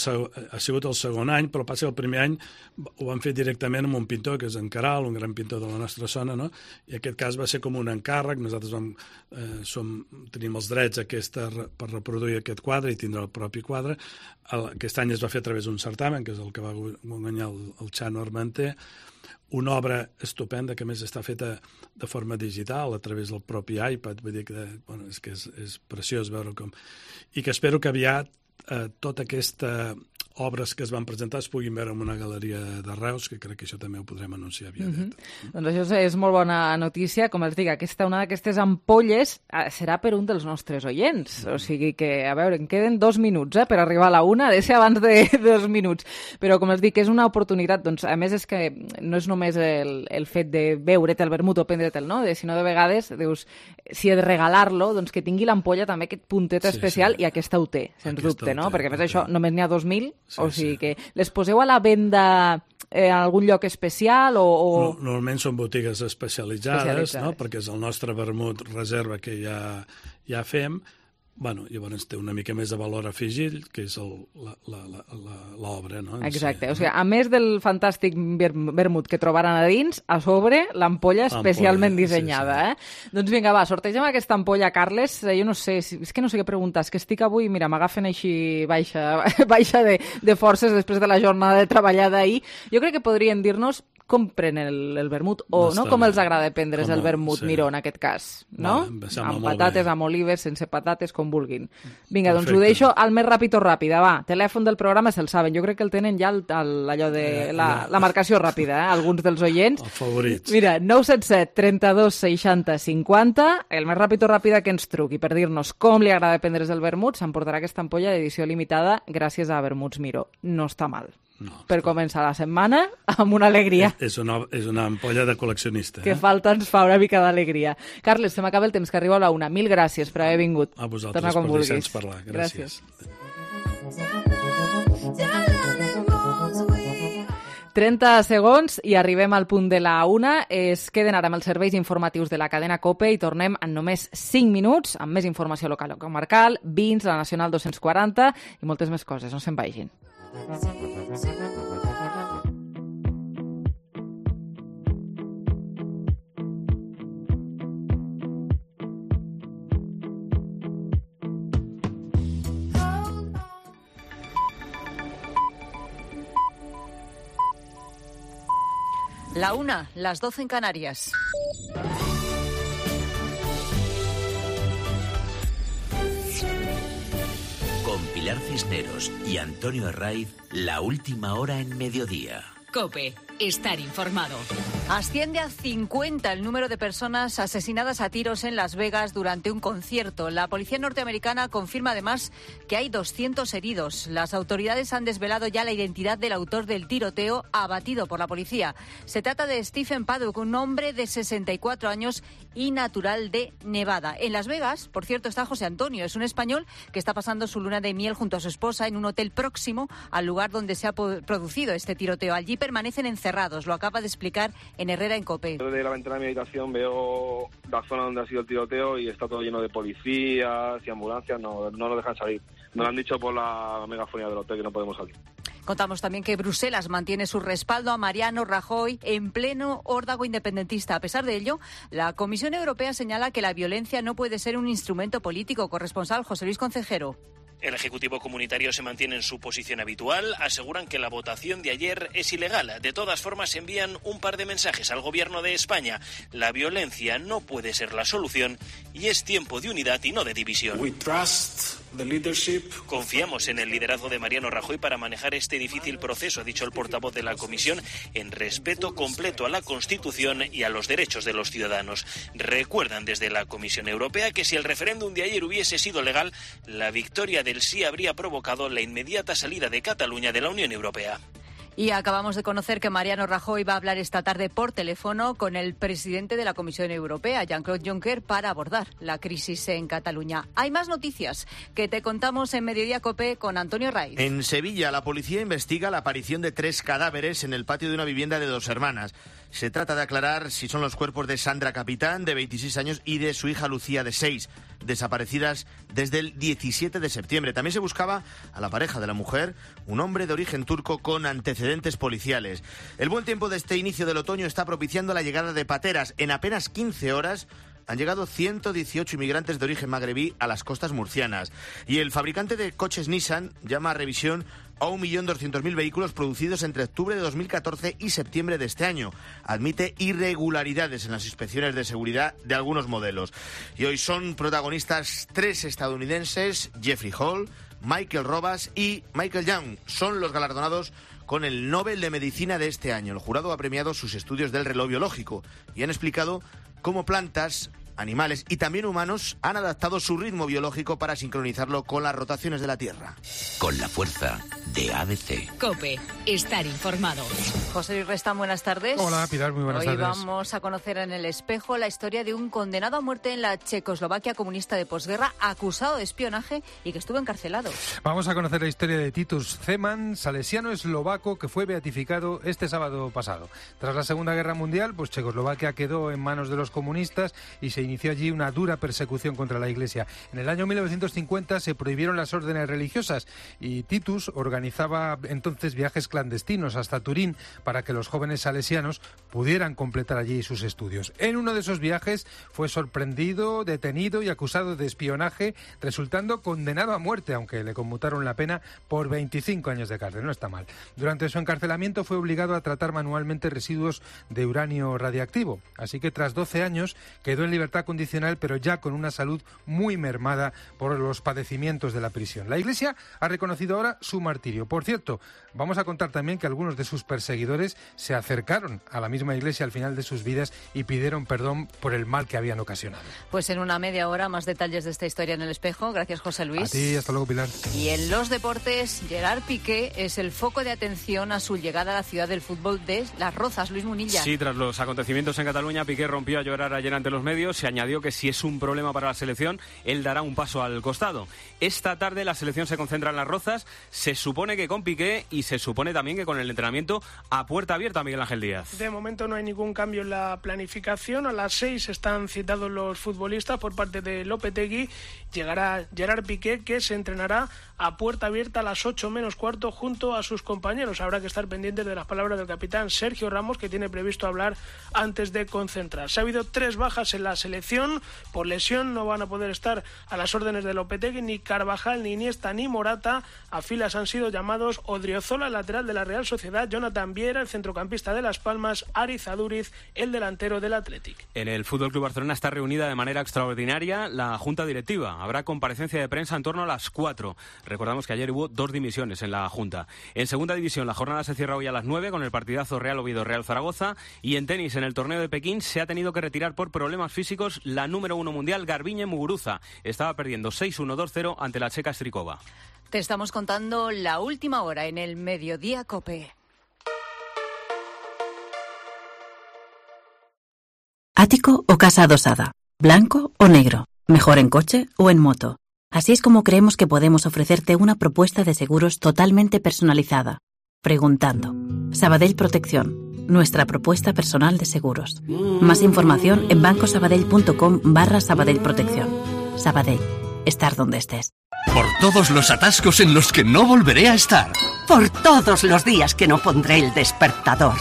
sigut el segon any, però passa que el primer any ho van fer directament amb un pintor, que és en Caral, un gran pintor de la nostra zona, no? I aquest cas va ser com un encàrrec. Nosaltres tenim els drets per reproduir aquest quadre i tindre el propi quadre. Aquest any es va fer a través d'un certamen, que és el que va guanyar el Xano Armenté, una obra estupenda que a més està feta de forma digital a través del propi iPad, vull dir que és preciós veure com... I que espero que aviat tota aquesta obres que es van presentar es puguin veure en una galeria de Reus, que crec que això també ho podrem anunciar aviat. Doncs això és molt bona notícia. Com els dic, una d'aquestes ampolles serà per un dels nostres oients. O sigui que, a veure, em queden 2 minuts per arribar a la 1, ha de ser abans de 2 minuts. Però, com els dic, és una oportunitat. Doncs, a més, és que no és només el fet de beure't el vermut o prendre'l, no? Sinó de vegades, dius, si he de regalar-lo, doncs que tingui l'ampolla també aquest puntet especial, i aquesta ho té, sens dubte, no? Perquè, a més, això només n'hi ha 2.000, o sigui que les poseu a la venda en algun lloc especial o... Normalment són botigues especialitzades, no? Perquè és el nostre vermut reserva que ja fem. Bueno, llavors té una mica més de valor afegit, que és l'obra, no? Exacte. O sigui, a més del fantàstic vermut que trobaran a dins, a sobre, l'ampolla especialment dissenyada. Doncs vinga, va, sortegem aquesta ampolla, Carles. Jo no sé, és que no sé què preguntar, és que estic avui, mira, m'agafen així baixa de forces després de la jornada de treballar d'ahir. Jo crec que podrien dir-nos com prenen el vermut, o no com els agrada prendre's el vermut, Miró, en aquest cas, no? Amb patates, amb olives, sense patates, com vulguin. Vinga, doncs ho deixo al més ràpid o ràpida, va. Telèfon del programa se'l saben, jo crec que el tenen ja allò de la marcació ràpida, alguns dels oients. Els favorits. Mira, 977 32 60 50, el més ràpid o ràpida que ens truqui per dir-nos com li agrada prendre's el vermut, s'emportarà aquesta ampolla d'edició limitada gràcies a Vermuts Miró. No està mal. Per començar la setmana amb una alegria. És una ampolla de col·leccionista. Que falta ens fa una mica d'alegria. Carles, se m'acaba el temps, que arriba a la 1. Mil gràcies per haver vingut. A vosaltres per deixar-nos parlar. Gràcies. 30 segons i arribem al punt de la 1. Es queden ara amb els serveis informatius de la cadena COPE i tornem en només 5 minuts amb més informació local o comarcal, vins, la Nacional 240 i moltes més coses. No se'n vagin. La 1, las 12 en Canarias. Con Pilar Cisneros y Antonio Herraiz, la última hora en mediodía. COPE. Estar informado. Asciende a 50 el número de personas asesinadas a tiros en Las Vegas durante un concierto. La policía norteamericana confirma además que hay 200 heridos. Las autoridades han desvelado ya la identidad del autor del tiroteo abatido por la policía. Se trata de Stephen Paddock, un hombre de 64 años y natural de Nevada. En Las Vegas, por cierto, está José Antonio. Es un español que está pasando su luna de miel junto a su esposa en un hotel próximo al lugar donde se ha producido este tiroteo. Allí permanecen encerrados, lo acaba de explicar en Herrera en COPE. Desde la ventana de mi habitación veo la zona donde ha sido el tiroteo y está todo lleno de policías y ambulancias, no nos dejan salir. Nos lo han dicho por la megafonía del hotel que no podemos salir. Contamos también que Bruselas mantiene su respaldo a Mariano Rajoy en pleno órdago independentista. A pesar de ello, la Comisión Europea señala que la violencia no puede ser un instrumento político. Corresponsal José Luis Concejero. El Ejecutivo Comunitario se mantiene en su posición habitual, aseguran que la votación de ayer es ilegal. De todas formas, envían un par de mensajes al Gobierno de España. La violencia no puede ser la solución y es tiempo de unidad y no de división. Confiamos en el liderazgo de Mariano Rajoy para manejar este difícil proceso, ha dicho el portavoz de la Comisión, en respeto completo a la Constitución y a los derechos de los ciudadanos. Recuerdan desde la Comisión Europea que si el referéndum de ayer hubiese sido legal, la victoria del sí habría provocado la inmediata salida de Cataluña de la Unión Europea. Y acabamos de conocer que Mariano Rajoy va a hablar esta tarde por teléfono con el presidente de la Comisión Europea, Jean-Claude Juncker, para abordar la crisis en Cataluña. Hay más noticias que te contamos en Mediodía COPE con Antonio Raiz. En Sevilla, la policía investiga la aparición de 3 cadáveres en el patio de una vivienda de 2 hermanas. Se trata de aclarar si son los cuerpos de Sandra Capitán, de 26 años, y de su hija Lucía, de 6, desaparecidas desde el 17 de septiembre. También se buscaba a la pareja de la mujer, un hombre de origen turco con antecedentes policiales. El buen tiempo de este inicio del otoño está propiciando la llegada de pateras. En apenas 15 horas han llegado 118 inmigrantes de origen magrebí a las costas murcianas. Y el fabricante de coches Nissan llama a revisión a 1.200.000 vehículos producidos entre octubre de 2014 y septiembre de este año. Admite irregularidades en las inspecciones de seguridad de algunos modelos. Y hoy son protagonistas 3 estadounidenses, Jeffrey Hall, Michael Robas y Michael Young. Son los galardonados con el Nobel de Medicina de este año. El jurado ha premiado sus estudios del reloj biológico y han explicado cómo plantas, animales y también humanos han adaptado su ritmo biológico para sincronizarlo con las rotaciones de la Tierra. Con la fuerza de ABC. COPE. Estar informado. José Luis Restán, buenas tardes. Hola, Pilar, muy buenas tardes. Hoy vamos a conocer en El Espejo la historia de un condenado a muerte en la Checoslovaquia comunista de posguerra, acusado de espionaje y que estuvo encarcelado. Vamos a conocer la historia de Titus Zeman, salesiano eslovaco que fue beatificado este sábado pasado. Tras la Segunda Guerra Mundial, pues Checoslovaquia quedó en manos de los comunistas y se inició allí una dura persecución contra la Iglesia. En el año 1950 se prohibieron las órdenes religiosas y Titus organizaba entonces viajes clandestinos hasta Turín para que los jóvenes salesianos pudieran completar allí sus estudios. En uno de esos viajes fue sorprendido, detenido y acusado de espionaje, resultando condenado a muerte, aunque le conmutaron la pena por 25 años de cárcel. No está mal. Durante su encarcelamiento fue obligado a tratar manualmente residuos de uranio radiactivo, así que tras 12 años quedó en libertad condicional, pero ya con una salud muy mermada por los padecimientos de la prisión. La Iglesia ha reconocido ahora su martirio. Por cierto, vamos a contar también que algunos de sus perseguidores se acercaron a la misma Iglesia al final de sus vidas y pidieron perdón por el mal que habían ocasionado. Pues en una media hora más detalles de esta historia en El Espejo. Gracias, José Luis. A ti, hasta luego, Pilar. Y en los deportes, Gerard Piqué es el foco de atención a su llegada a la ciudad del fútbol de Las Rozas. Luis Munilla. Sí, tras los acontecimientos en Cataluña, Piqué rompió a llorar ayer ante los medios. Se añadió que si es un problema para la selección, él dará un paso al costado. Esta tarde la selección se concentra en Las Rozas. Se supone que con Piqué y se supone también que con el entrenamiento a puerta abierta, Miguel Ángel Díaz. De momento no hay ningún cambio en la planificación. A las 6 están citados los futbolistas por parte de Lopetegui. Llegará Gerard Piqué, que se entrenará a puerta abierta a las 8 menos cuarto junto a sus compañeros. Habrá que estar pendientes de las palabras del capitán Sergio Ramos, que tiene previsto hablar antes de concentrarse. Ha habido 3 bajas en la selección. Por lesión no van a poder estar a las órdenes de Lopetegui ni Carvajal, ni Iniesta, ni Morata. A filas han sido llamados Odriozola, el lateral de la Real Sociedad, Jonathan Viera, el centrocampista de Las Palmas, Ariz Aduriz, el delantero del Athletic. En el FC Barcelona está reunida de manera extraordinaria la Junta Directiva. Habrá comparecencia de prensa en torno a las 4. Recordamos que ayer hubo 2 dimisiones en la Junta. En Segunda División la jornada se cierra hoy a las 9 con el partidazo Real Oviedo-Real Zaragoza. Y en tenis, en el torneo de Pekín, se ha tenido que retirar por problemas físicos la número 1 mundial, Garbiñe Muguruza. Estaba perdiendo 6-1, 2-0 ante la checa Strikova. Te estamos contando la última hora en el Mediodía COPE. ¿Ático o casa adosada? ¿Blanco o negro? ¿Mejor en coche o en moto? Así es como creemos que podemos ofrecerte una propuesta de seguros totalmente personalizada. Preguntando. Sabadell Protección. Nuestra propuesta personal de seguros. Más información en bancosabadell.com/Sabadell Protección. Sabadell. Estar donde estés. Por todos los atascos en los que no volveré a estar. Por todos los días que no pondré el despertador.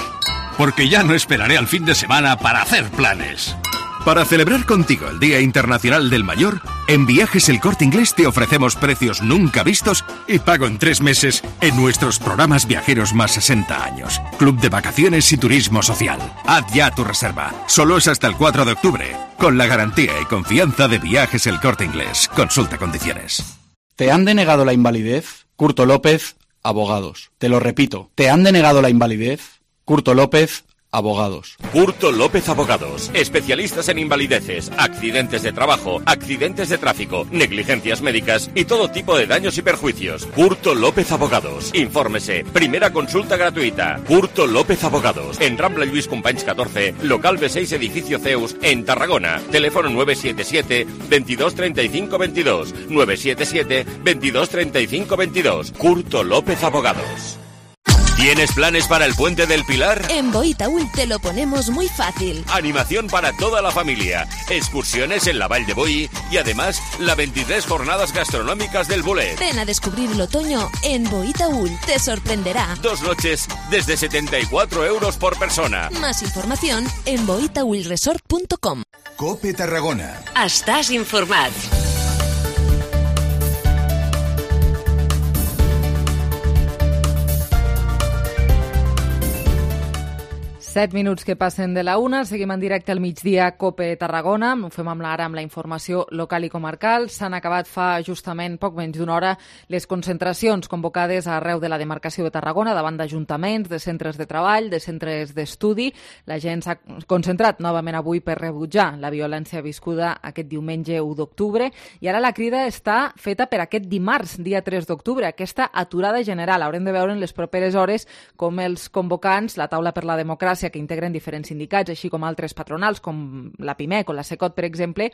Porque ya no esperaré al fin de semana para hacer planes. Para celebrar contigo el Día Internacional del Mayor, en Viajes El Corte Inglés te ofrecemos precios nunca vistos y pago en 3 meses en nuestros programas viajeros más 60 años. Club de Vacaciones y Turismo Social. Haz ya tu reserva. Solo es hasta el 4 de octubre. Con la garantía y confianza de Viajes El Corte Inglés. Consulta condiciones. ¿Te han denegado la invalidez? Curto López, abogados. Te lo repito. ¿Te han denegado la invalidez? Curto López, Abogados. Curto López Abogados. Especialistas en invalideces, accidentes de trabajo, accidentes de tráfico, negligencias médicas y todo tipo de daños y perjuicios. Curto López Abogados. Infórmese. Primera consulta gratuita. Curto López Abogados. En Rambla Lluís Companys 14, local B6, edificio Zeus, en Tarragona. Teléfono 977 22 35 22. 977 22 35 22. Curto López Abogados. ¿Tienes planes para el Puente del Pilar? En Boí-Taüll te lo ponemos muy fácil. Animación para toda la familia, excursiones en la Vall de Boí y además las 23 jornadas gastronómicas del Bolet. Ven a descubrir el otoño en Boí-Taüll, te sorprenderá. 2 noches desde 74 euros por persona. Más información en boitaüllresort.com. COPE Tarragona. Estàs informat. 7 minuts que passen de la 1, seguim en directe al migdia COPE Tarragona, ho fem ara amb la informació local i comarcal. S'han acabat fa justament poc menys d'una hora les concentracions convocades arreu de la demarcació de Tarragona davant d'ajuntaments, de centres de treball, de centres d'estudi. La gent s'ha concentrat novament avui per rebutjar la violència viscuda aquest diumenge 1 d'octubre i ara la crida està feta per aquest dimarts, dia 3 d'octubre, aquesta aturada general. Haurem de veure en les properes hores com els convocants, la Taula per la Democràcia, que integren diferents sindicats, així com altres patronals, com la PIMEC o la SECOT, per exemple,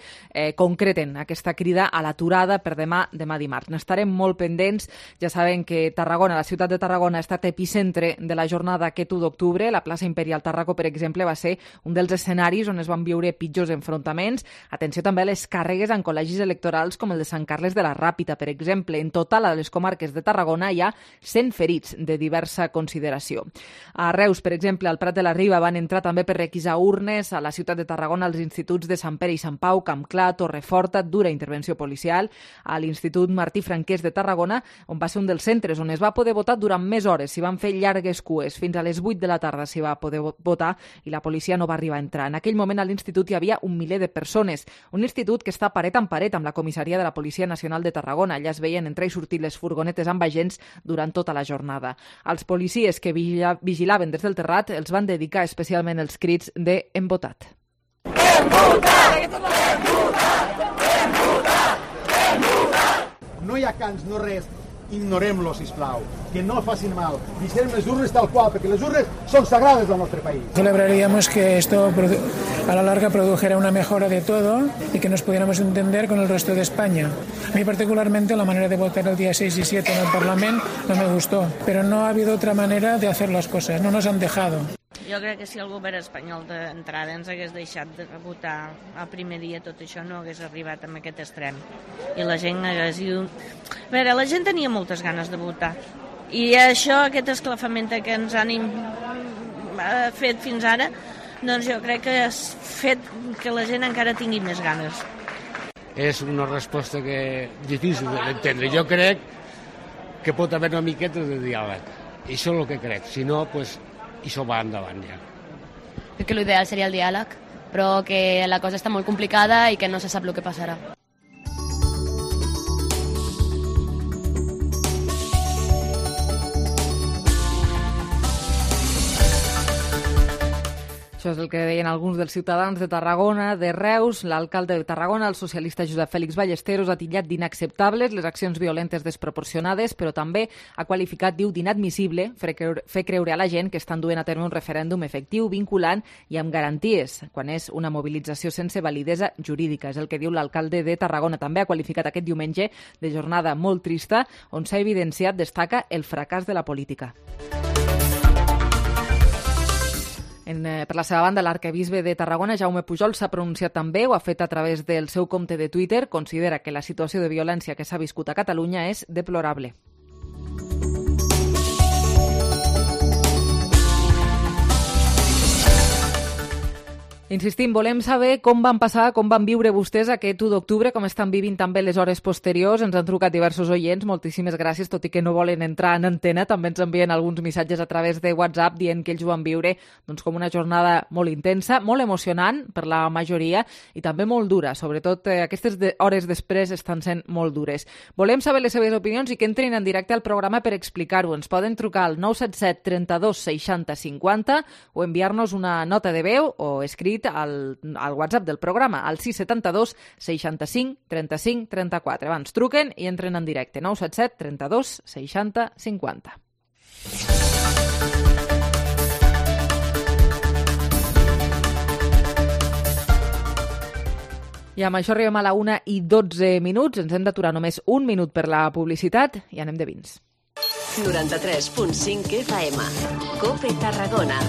concreten aquesta crida a l'aturada per demà dimarts. N'estarem molt pendents. Ja saben que Tarragona, la ciutat de Tarragona, ha estat epicentre de la jornada aquest 1 d'octubre. La plaça Imperial Tarraco, per exemple, va ser un dels escenaris on es van viure pitjors enfrontaments. Atenció també a les càrregues en col·legis electorals com el de Sant Carles de la Ràpita, per exemple. En total, a les comarques de Tarragona hi ha 100 ferits de diversa consideració. A Reus, per exemple, al Prat de la Riba van entrar també per requisar urnes. A la ciutat de Tarragona, als instituts de Sant Pere i Sant Pau, Campclar, Torreforta, dura intervenció policial. A l'Institut Martí Franquès de Tarragona, on va ser un dels centres on es va poder votar durant més hores. S'hi van fer llargues cues. Fins a les 8 de la tarda s'hi va poder votar i la policia no va arribar a entrar. En aquell moment a l'institut hi havia 1 miler de persones. Un institut que està paret en paret amb la comissaria de la Policia Nacional de Tarragona. Allà es veien entrar i sortir les furgonetes amb agents durant tota la jornada. Els policies que vigilaven des del terrat els van dedicar especialment els crits de "hem votat". Hem votat! Hem votat! Hem votat! Hem votat! No hi ha cants, no res. Ignorem-lo, sisplau. Que no facin mal. Deixem les urnes tal qual, perquè les urnes són sagrades al nostre país. Celebraríamos que esto a la larga produjera una mejora de todo y que nos pudiéramos entender con el resto de España. A mí particularmente la manera de votar el día 6 y 7 en el Parlamento no me gustó, pero no ha habido otra manera de hacer las cosas, no nos han dejado. Jo crec que si el govern espanyol d'entrada ens hagués deixat de votar el primer dia, tot això no hagués arribat a aquest extrem. I la gent hagués dit... A veure, la gent tenia moltes ganes de votar. I això, aquest esclafament que ens han fet fins ara, doncs jo crec que ha fet que la gent encara tingui més ganes. És una resposta que difícil d'entendre. Jo crec que pot haver una miqueta de diàleg. I això és el que crec. Si no, doncs... i això va endavant ja. Crec que l'ideal seria el diàleg, però que la cosa està molt complicada i que no se sap el que passarà. Això és el que deien alguns dels ciutadans de Tarragona, de Reus. L'alcalde de Tarragona, el socialista Josep Fèlix Ballesteros, ha titllat d'inacceptables les accions violentes desproporcionades, però també ha qualificat, diu, d'inadmissible fer creure a la gent que estan duent a terme un referèndum efectiu, vinculant i amb garanties, quan és una mobilització sense validesa jurídica. És el que diu l'alcalde de Tarragona. També ha qualificat aquest diumenge de jornada molt trista, on s'ha evidenciat, destaca, el fracàs de la política. Per la seva banda, l'arquebisbe de Tarragona, Jaume Pujol, s'ha pronunciat també, ho ha fet a través del seu compte de Twitter, considera que la situació de violència que s'ha viscut a Catalunya és deplorable. Insistim, volem saber com van passar, com van viure vostès aquest 1 d'octubre, com estan vivint també les hores posteriors. Ens han trucat diversos oients, moltíssimes gràcies, tot i que no volen entrar en antena. També ens envien alguns missatges a través de WhatsApp dient que ells ho van viure doncs, com una jornada molt intensa, molt emocionant per la majoria i també molt dura. Sobretot aquestes hores després estan sent molt dures. Volem saber les seves opinions i que entrin en directe al programa per explicar-ho. Ens poden trucar al 977 32 60 50 o enviar-nos una nota de veu o escrit al WhatsApp del programa, al 672 65 35 34. Abans truquen i entren en directe. 977 32 60 50. I amb això arribem a la 1:12. Ens hem d'aturar només un minut per la publicitat i anem de vins. 93.5 FM. COPE Tarragona.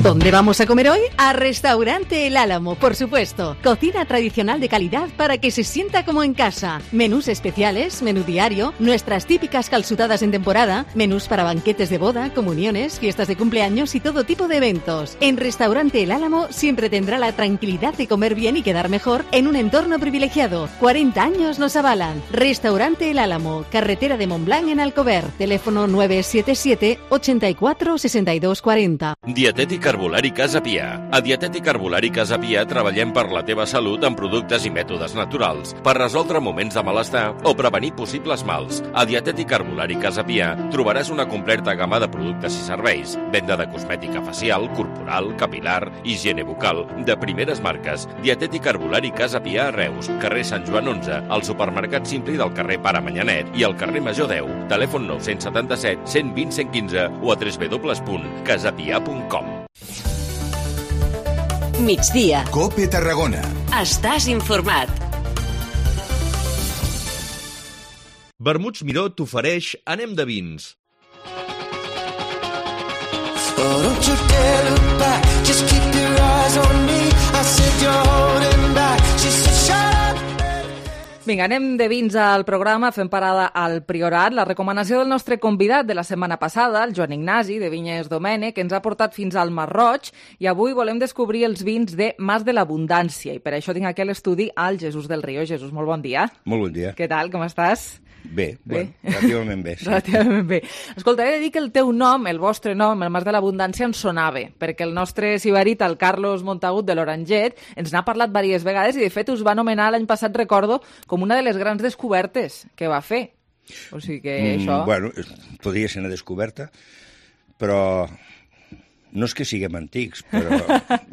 ¿Dónde vamos a comer hoy? A Restaurante El Álamo, por supuesto. Cocina tradicional de calidad para que se sienta como en casa. Menús especiales, menú diario, nuestras típicas calzutadas en temporada, menús para banquetes de boda, comuniones, fiestas de cumpleaños y todo tipo de eventos. En Restaurante El Álamo siempre tendrá la tranquilidad de comer bien y quedar mejor en un entorno privilegiado. 40 años nos avalan. Restaurante El Álamo, carretera de Montblanc en Alcover. Teléfono 977 84 62 40. Dietètic Herbolari Casa Pia. A Dietètic Herbolari Casa Pia treballem per la teva salut amb productes i mètodes naturals, per resoldre moments de malestar o prevenir possibles mals. A Dietètic Herbolari Casa Pia trobaràs una completa gamma de productes i serveis, venda de cosmètica facial, corporal, capilar, higiene bucal, de primeres marques. Dietètic Herbolari Casa Pia a Reus, carrer Sant Joan 11, al supermercat Simpli del carrer Pare Manyanet i al carrer Major 10. Telèfon 977 120 115 o a www.casapia.com. Migdia. COPE Tarragona. Estàs informat. Vermuts Miró t'ofereix Anem de vins. Vinga, anem de vins al programa, fem parada al Priorat. La recomanació del nostre convidat de la setmana passada, el Joan Ignasi, de Vinyes Domènech, ens ha portat fins al Mar Roig i avui volem descobrir els vins de Mas de l'Abundància. I per això tinc aquí a l'estudi al Jesús del Río. Jesús, molt bon dia. Molt bon dia. Què tal, com estàs? Bé, bueno, relativament bé. Sí. Relativament bé. Escolta, he de dir que el teu nom, el vostre nom, el Mas de l'Abundància, ens sonava, perquè el nostre sibarit, el Carlos Montagut de l'Oranget, ens n'ha parlat diverses vegades i, de fet, us va anomenar l'any passat, recordo, com una de les grans descobertes que va fer. O sigui que això... Bueno, podria ser una descoberta, però no és que siguem antics, però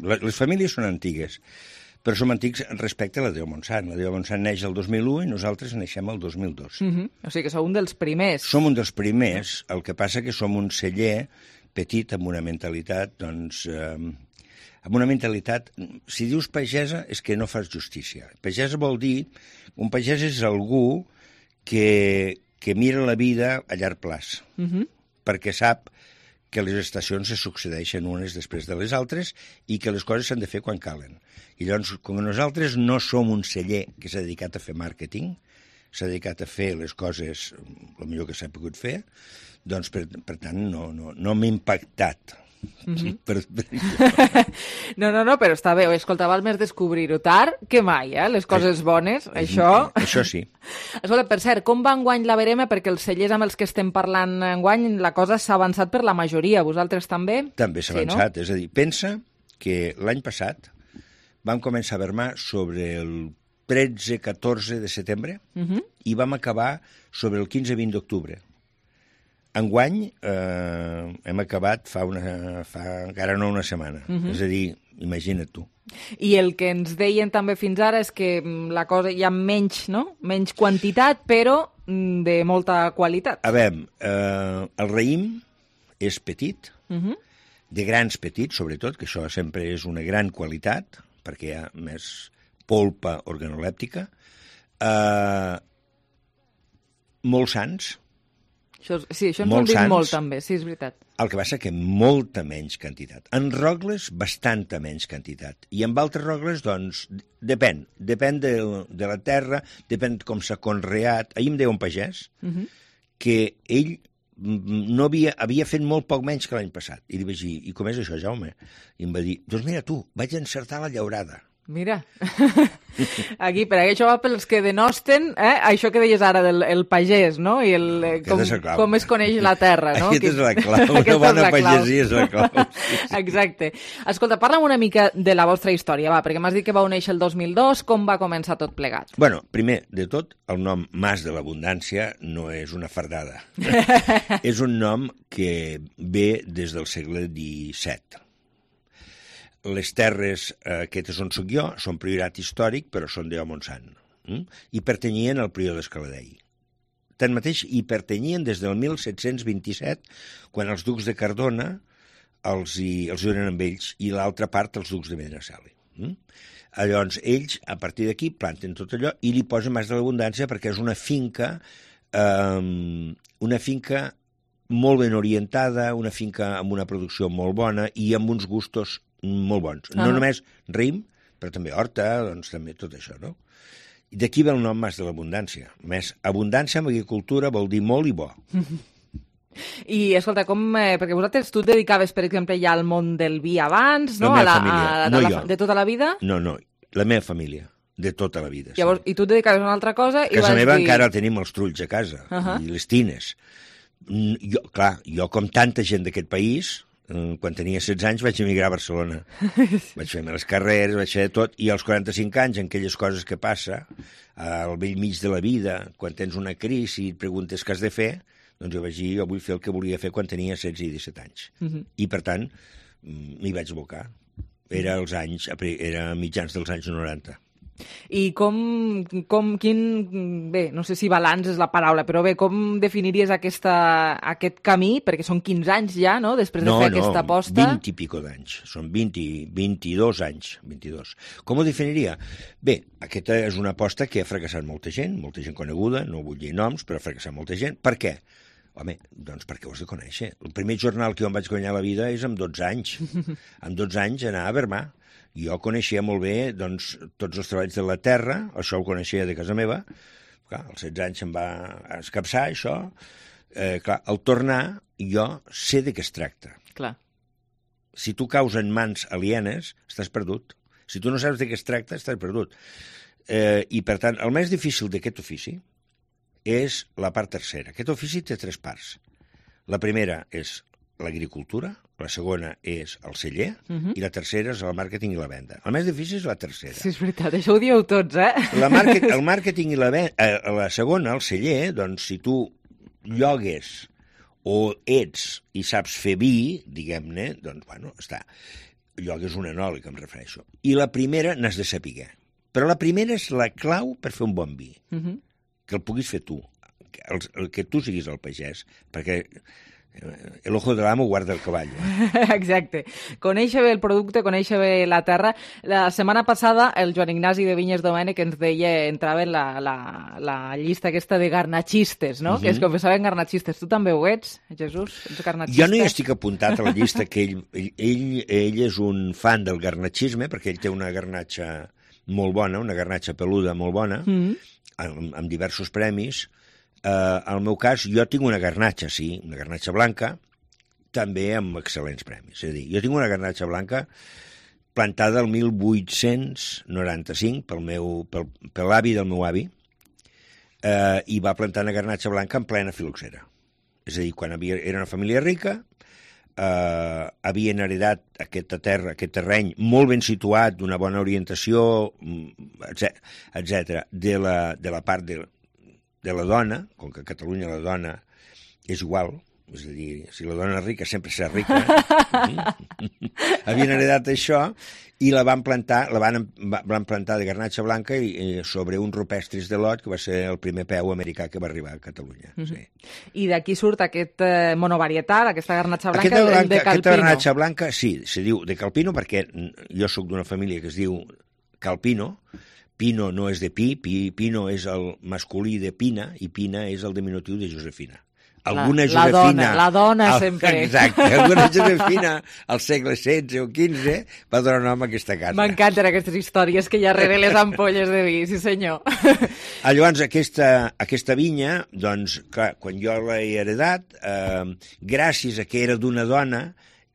les famílies són antigues. Però som antics respecte a la Déu Montsant. La Déu Montsant neix el 2001 i nosaltres neixem el 2002. O sigui que sou un dels primers. Som un dels primers, el que passa que som un celler petit amb una mentalitat, doncs... amb una mentalitat... Si dius pagesa és que no fas justícia. Pagesa vol dir... Un pagès és algú que mira la vida a llarg plaç, perquè sap que les estacions se succeeixen unes després de les altres i que les coses s'han de fer quan calen. I llavors, com nosaltres no som un celler que s'ha dedicat a fer màrqueting, s'ha dedicat a fer les coses el millor que s'ha pogut fer, doncs, per tant, no m'ha impactat. No, però està bé. Escolta, val més descobrir-ho tard que mai, les coses bones, això... Això sí. Escolta, per cert, com va enguany la verema? Perquè els cellers amb els que estem parlant enguany, la cosa s'ha avançat per la majoria. Vosaltres també? També s'ha avançat. No? És a dir, pensa que l'any passat vam començar a vermar sobre el 13-14 de setembre i vam acabar sobre el 15-20 d'octubre. Enguany hem acabat fa encara no una setmana. És a dir, imagina't tu. I el que ens deien també fins ara és que la cosa hi ha menys, no? Menys quantitat, però de molta qualitat. A veure, el raïm és petit, de grans petits, sobretot, que això sempre és una gran qualitat, perquè hi ha més polpa organolèptica, molt sans. Sí, això ens ho han dit molt també, sí, és veritat. El que passa que molta menys quantitat. En rogles, bastanta menys quantitat. I en altres rogles, doncs, depèn de la terra, depèn com s'ha conreat. Ahir em deia un pagès que ell no havia fet molt poc menys que l'any passat. I li vaig dir, i com és això, Jaume? I em va dir, doncs mira tu, vaig encertar la llaurada. Mira, aquí, per això va pels que denosten, això que deies ara del pagès, no? I com es coneix la terra, no? Aquesta és la clau, una bona pagesia és la clau. Exacte. Escolta, parla'm una mica de la vostra història, va, perquè m'has dit que vau néixer el 2002, com va començar tot plegat? Bueno, primer de tot, el nom Mas de l'Abundància no és una fardada. És un nom que ve des del segle XVII. Les terres aquestes on soc jo són priorat històric, però són de Montsant, i pertanyien al prior d'Escaladei. Tanmateix, hi pertanyien des del 1727, quan els ducs de Cardona els donen amb ells, i l'altra part els ducs de Medinaceli. Llavors, ells, a partir d'aquí, planten tot allò i li posen Mas de l'Abundància perquè és una finca molt ben orientada, una finca amb una producció molt bona i amb uns gustos molt bons. No només raïm, però també horta, doncs també tot això, no? I d'aquí ve el nom Mas de l'Abundància. Més, abundància en agricultura vol dir molt i bo. I, escolta, perquè vosaltres, tu et dedicaves, per exemple, ja al món del vi abans, no? La meva família, no jo. De tota la vida? No, la meva família, de tota la vida. Llavors, i tu et dedicaves a una altra cosa i vas dir... A casa meva encara tenim els trulls a casa, i les tines. Jo, com tanta gent d'aquest país... Quan tenia 16 anys vaig emigrar a Barcelona. Vaig fer les carreres, vaig fer tot, i als 45 anys, en aquelles coses que passa, al vell mig de la vida, quan tens una crisi i et preguntes què has de fer, doncs jo vaig dir, jo vull fer el que volia fer quan tenia 16 i 17 anys. I, per tant, m'hi vaig abocar. Era mitjans dels anys 90. I bé, no sé si balanç és la paraula, però bé, com definiries aquest camí? Perquè són 15 anys ja, no?, després de fer aquesta aposta. 20 i pico d'anys. Són 22 anys. 22. Com ho definiria? Bé, aquesta és una aposta que ha fracassat molta gent coneguda, no vull dir noms, però ha fracassat molta gent. Per què? Home, doncs perquè ho has de conèixer. El primer jornal que jo em vaig guanyar a la vida és amb 12 anys. Amb 12 anys anar a Bermà. Jo coneixia molt bé doncs, tots els treballs de la terra, això ho coneixia de casa meva. Clar, als 16 anys em va escapçar, això. Al tornar, jo sé de què es tracta. Clar. Si tu caus en mans alienes, estàs perdut. Si tu no saps de què es tracta, estàs perdut. I, per tant, el més difícil d'aquest ofici és la part tercera. Aquest ofici té 3 parts. La primera és l'agricultura, la segona és el celler, i la tercera és el màrqueting i la venda. El més difícil és la tercera. Sí, és veritat, això ho dieu tots, El màrqueting i la segona, el celler, doncs si tu llogues o ets i saps fer vi, diguem-ne, doncs, bueno, està. Llogues un enòleg, em refereixo. I la primera n'has de saber. Però la primera és la clau per fer un bon vi. Que el puguis fer tu. Que tu siguis el pagès, perquè... El ojo de l'amo guarda el cavall. Exacte. Conèixer bé el producte, conèixer bé la terra. La setmana passada el Joan Ignasi de Vinyes Domènech ens deia, entrava en la llista aquesta de garnatxistes, no? Que es confessaven garnatxistes. Tu també ho ets, Jesús? Ets garnatxista? Jo no hi estic apuntat a la llista, que ell és un fan del garnatxisme, perquè ell té una garnatxa molt bona, una garnatxa peluda molt bona, amb diversos premis. En el meu cas, jo tinc una garnatxa, sí, una garnatxa blanca, també amb excel·lents premis. És a dir, jo tinc una garnatxa blanca plantada el 1895 per l'avi del meu avi, i va plantar una garnatxa blanca en plena filoxera. És a dir, quan era una família rica, havien heredat aquesta terra, aquest terreny molt ben situat, d'una bona orientació, etc. De la part de la dona, com que a Catalunya la dona és igual, és a dir, si la dona és rica sempre serà rica, havien heredat això i la van plantar de garnatxa blanca sobre uns rupestris de lot, que va ser el primer peu americà que va arribar a Catalunya. Sí. I d'aquí surt aquest monovarietal, aquesta garnatxa blanca de Calpino. Aquesta garnatxa blanca, sí, se diu de Calpino perquè jo sóc d'una família que es diu Calpino. Pino no és de pi, Pino és el masculí de Pina, i Pina és el diminutiu de Josefina. alguna Josefina... La dona sempre. Exacte, alguna Josefina al segle XVI o XV va donar nom a aquesta casa. M'encanten aquestes històries que hi ha rere les ampolles de vi, sí senyor. Llavors, aquesta vinya, doncs, clar, quan jo l'he heredat, gràcies a que era d'una dona,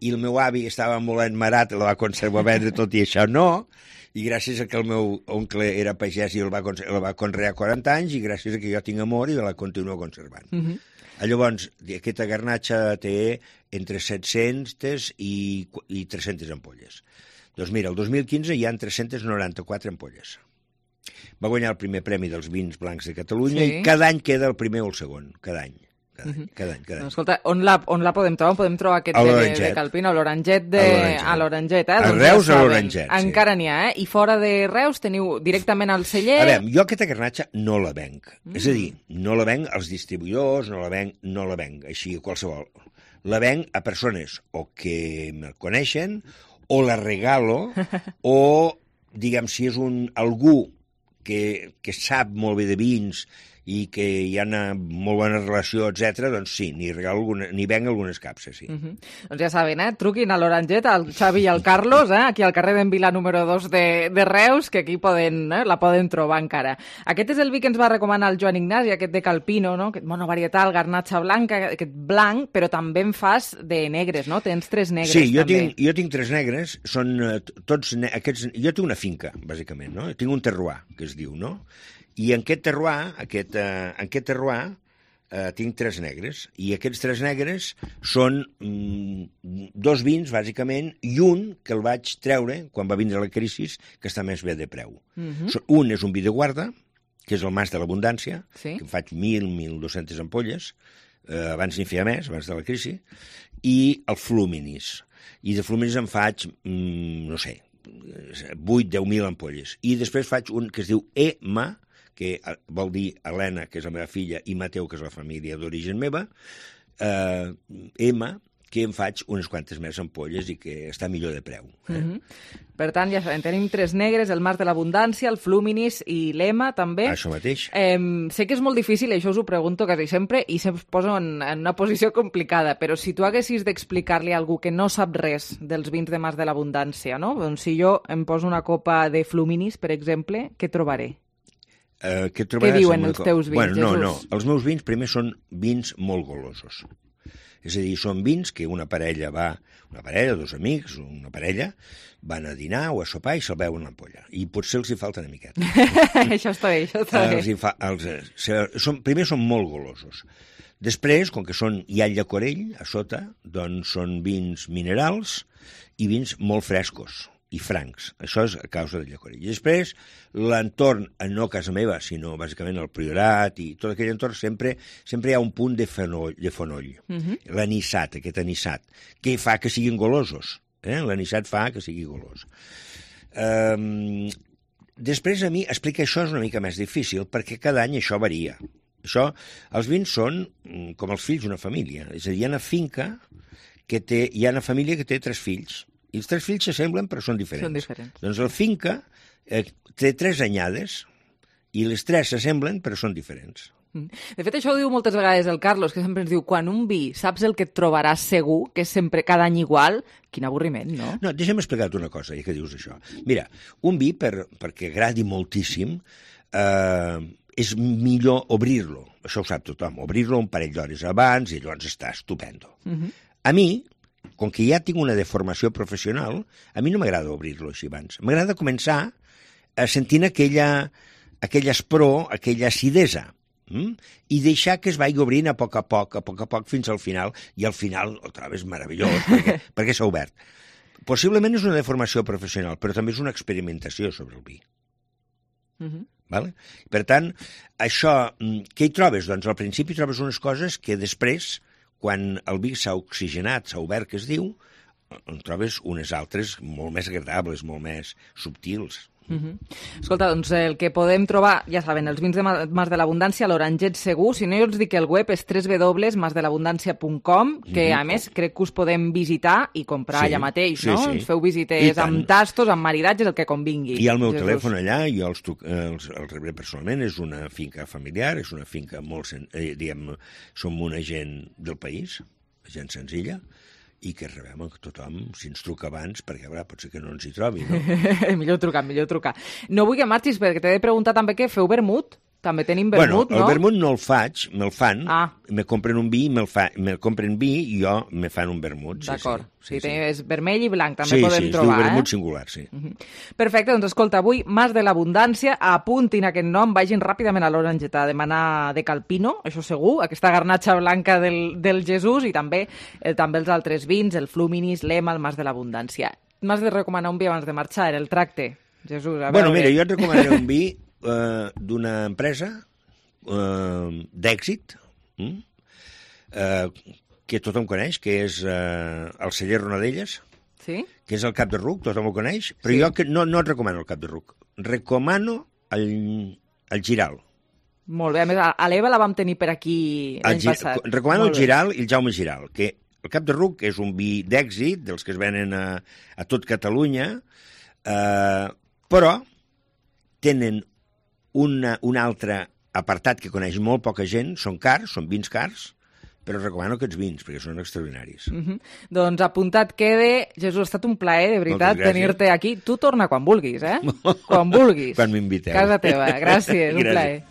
i el meu avi estava molt enmarat, la va conservar vendre tot i això no, i gràcies a que el meu oncle era pagès i la va conrear 40 anys, i gràcies a que jo tinc amor i la continuo conservant. Llavors, aquesta garnatxa té entre 700 i 300 ampolles. Doncs mira, el 2015 hi ha 394 ampolles. Va guanyar el primer premi dels vins blancs de Catalunya i cada any queda el primer o el segon, cada any. Cada any. Escolta, on la podem trobar? On podem trobar aquest de Calpino? L'Oranget a l'Oranget, A Reus a l'Oranget, sí. Encara n'hi ha, I fora de Reus teniu directament al celler... A veure, jo aquesta garnatxa no la venc. És a dir, no la venc als distribuïdors, no la venc així a qualsevol. La venc a persones o que me coneixen, o la regalo, o, diguem, si és algú que sap molt bé de vins i que hi ha una molt bona relació, etc., doncs sí, n'hi venc algunes capses, sí. Doncs ja saben, truquin a l'Oranget, al Xavi i al Carlos, aquí al carrer d'en Vila número 2 de Reus, que aquí la poden trobar encara. Aquest és el vi que ens va recomanar el Joan Ignasi, aquest de Calpino, no? Aquest monovarietal, garnatxa blanca, aquest blanc, però també en fas de negres, no? Tens 3 negres, també. Sí, jo tinc 3 negres, són tots aquests... Jo tinc una finca, bàsicament, no? Tinc un terroir, que es diu, no? I en aquest terroir tinc 3 negres, i aquests 3 negres són 2 vins, bàsicament, i un que el vaig treure quan va vindre la crisi, que està més bé de preu. Un és un vi de guarda, que és el Mas de l'Abundància, que em faig 1.200 ampolles, abans n'hi feia més, abans de la crisi, i el Fluminis. I de Fluminis em faig, no sé, 8-10.000 ampolles. I després faig un que es diu EMA, que vol dir Helena, que és la meva filla, i Mateu, que és la família d'origen meva, EMA, que em faig unes quantes més ampolles i que està millor de preu. Per tant, ja sabem, tenim 3 negres, el Mas de l'Abundància, el Fluminis i l'EMA, també. Això mateix. Sé que és molt difícil, això us ho pregunto quasi sempre, i se'm poso en una posició complicada, però si tu haguessis d'explicar-li a algú que no sap res dels vins de Mas de l'Abundància, no? Doncs si jo em poso una copa de Fluminis, per exemple, què trobaré? Què diuen els teus vins, Jesús? Jesús? No. Els meus vins primer són vins molt golosos. És a dir, són vins que una parella, 2 amics, una parella, van a dinar o a sopar i se'l beuen l'ampolla. I potser els hi falta una miqueta. Això està bé, això està bé. Primer són molt golosos. Després, com que hi ha llacorell a sota, doncs són vins minerals i vins molt frescos i francs. Això és a causa del llacorell. I després, l'entorn, no a casa meva, sinó bàsicament al Priorat i tot aquell entorn, sempre hi ha un punt de fonoll. L'anissat, aquest anissat, que fa que siguin golosos. L'anissat fa que sigui golós. Després, a mi, explicar això és una mica més difícil, perquè cada any això varia. Els vins són com els fills d'una família. És a dir, hi ha una finca hi ha una família que té 3 fills, i els 3 fills s'assemblen però són diferents. Doncs la finca té 3 anyades i les 3 s'assemblen però són diferents. De fet, això ho diu moltes vegades el Carlos, que sempre ens diu, quan un vi saps el que et trobaràs segur, que és sempre cada any igual, quin avorriment, no? No, deixa'm explicar-te una cosa, ja que dius això. Mira, un vi, perquè agradi moltíssim, és millor obrir-lo. Això ho sap tothom. Obrir-lo un parell d'hores abans i llavors està estupendo. A mi, com que ja tinc una deformació professional, a mi no m'agrada obrir-lo així abans. M'agrada començar sentint aquella aspror, aquella acidesa, i deixar que es vagi obrint a poc a poc, fins al final, i al final el trobo és meravellós, perquè s'ha obert. Possiblement és una deformació professional, però també és una experimentació sobre el vi. Per tant, això, què hi trobes? Doncs al principi trobes unes coses que després, quan el vi s'ha oxigenat, s'ha obert, que es diu, en trobes unes altres molt més agradables, molt més subtils. Escolta, doncs el que podem trobar, ja saben, els vins de Mas de l'Abundància, l'Oranget segur. Si no, jo els dic que el web és www.masdelabundancia.com, que a més crec que us podem visitar i comprar allà mateix, no? Ens feu visites amb tastos, amb maridatges, el que convingui. Hi ha el meu telèfon allà, jo els rebré personalment, és una finca familiar, és una finca molt... som una gent del país, gent senzilla, i que rebem que tothom, si ens truca abans, perquè pot ser que no ens hi trobi, no? Millor trucar. No vull que marxis, perquè t'he de preguntar també que feu vermut. També tenim vermut, no? El vermut no el faig, me'l fan, me compren un vi, me compren vi i jo me fan un vermut. D'acord, és vermell i blanc, també podem trobar. Sí, es diu vermut singular, sí. Perfecte, doncs escolta, avui Mas de l'Abundància, apuntin aquest nom, vagin ràpidament a l'Oranget a demanar de Calpino, això segur, aquesta garnatxa blanca del Jesús i també els altres vins, el Fluminis, l'Ema, el Mas de l'Abundància. M'has de recomanar un vi abans de marxar, el Tracte, Jesús. Bueno, mira, jo et recomanaré un vi d'una empresa d'èxit que tothom coneix, que és el celler Ronadelles, que és el Cap de Ruc, tothom ho coneix, però jo no et recomano el Cap de Ruc, recomano el Giral. Molt bé, a més, a l'Eva la vam tenir per aquí l'any passat. Recomano el Giral i el Jaume Giral, que el Cap de Ruc és un vi d'èxit, dels que es venen a tot Catalunya, però tenen un altre apartat que coneix molt poca gent, són cars, són vins cars, però recomano aquests vins, perquè són extraordinaris. Doncs apuntat quede. Jesús, ha estat un plaer, de veritat, tenir-te aquí. Tu torna quan vulguis, Quan vulguis. Quan m'inviteu. Casa teva, gràcies, un plaer.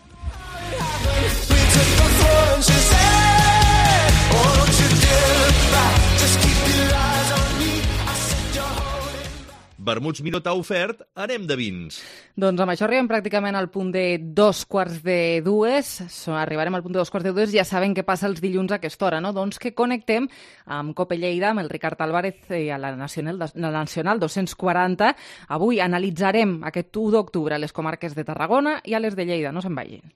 Vermuts Miró t'ha ofert, anem de vins. Doncs amb això arribem pràcticament al punt de 2:45. Arribarem al punt de 2:45. Ja saben què passa els dilluns a aquesta hora, no? Doncs que connectem amb Cope Lleida, amb el Ricard Álvarez i a la Nacional 240. Avui analitzarem aquest 1 d'octubre a les comarques de Tarragona i a les de Lleida. No se'n vagin.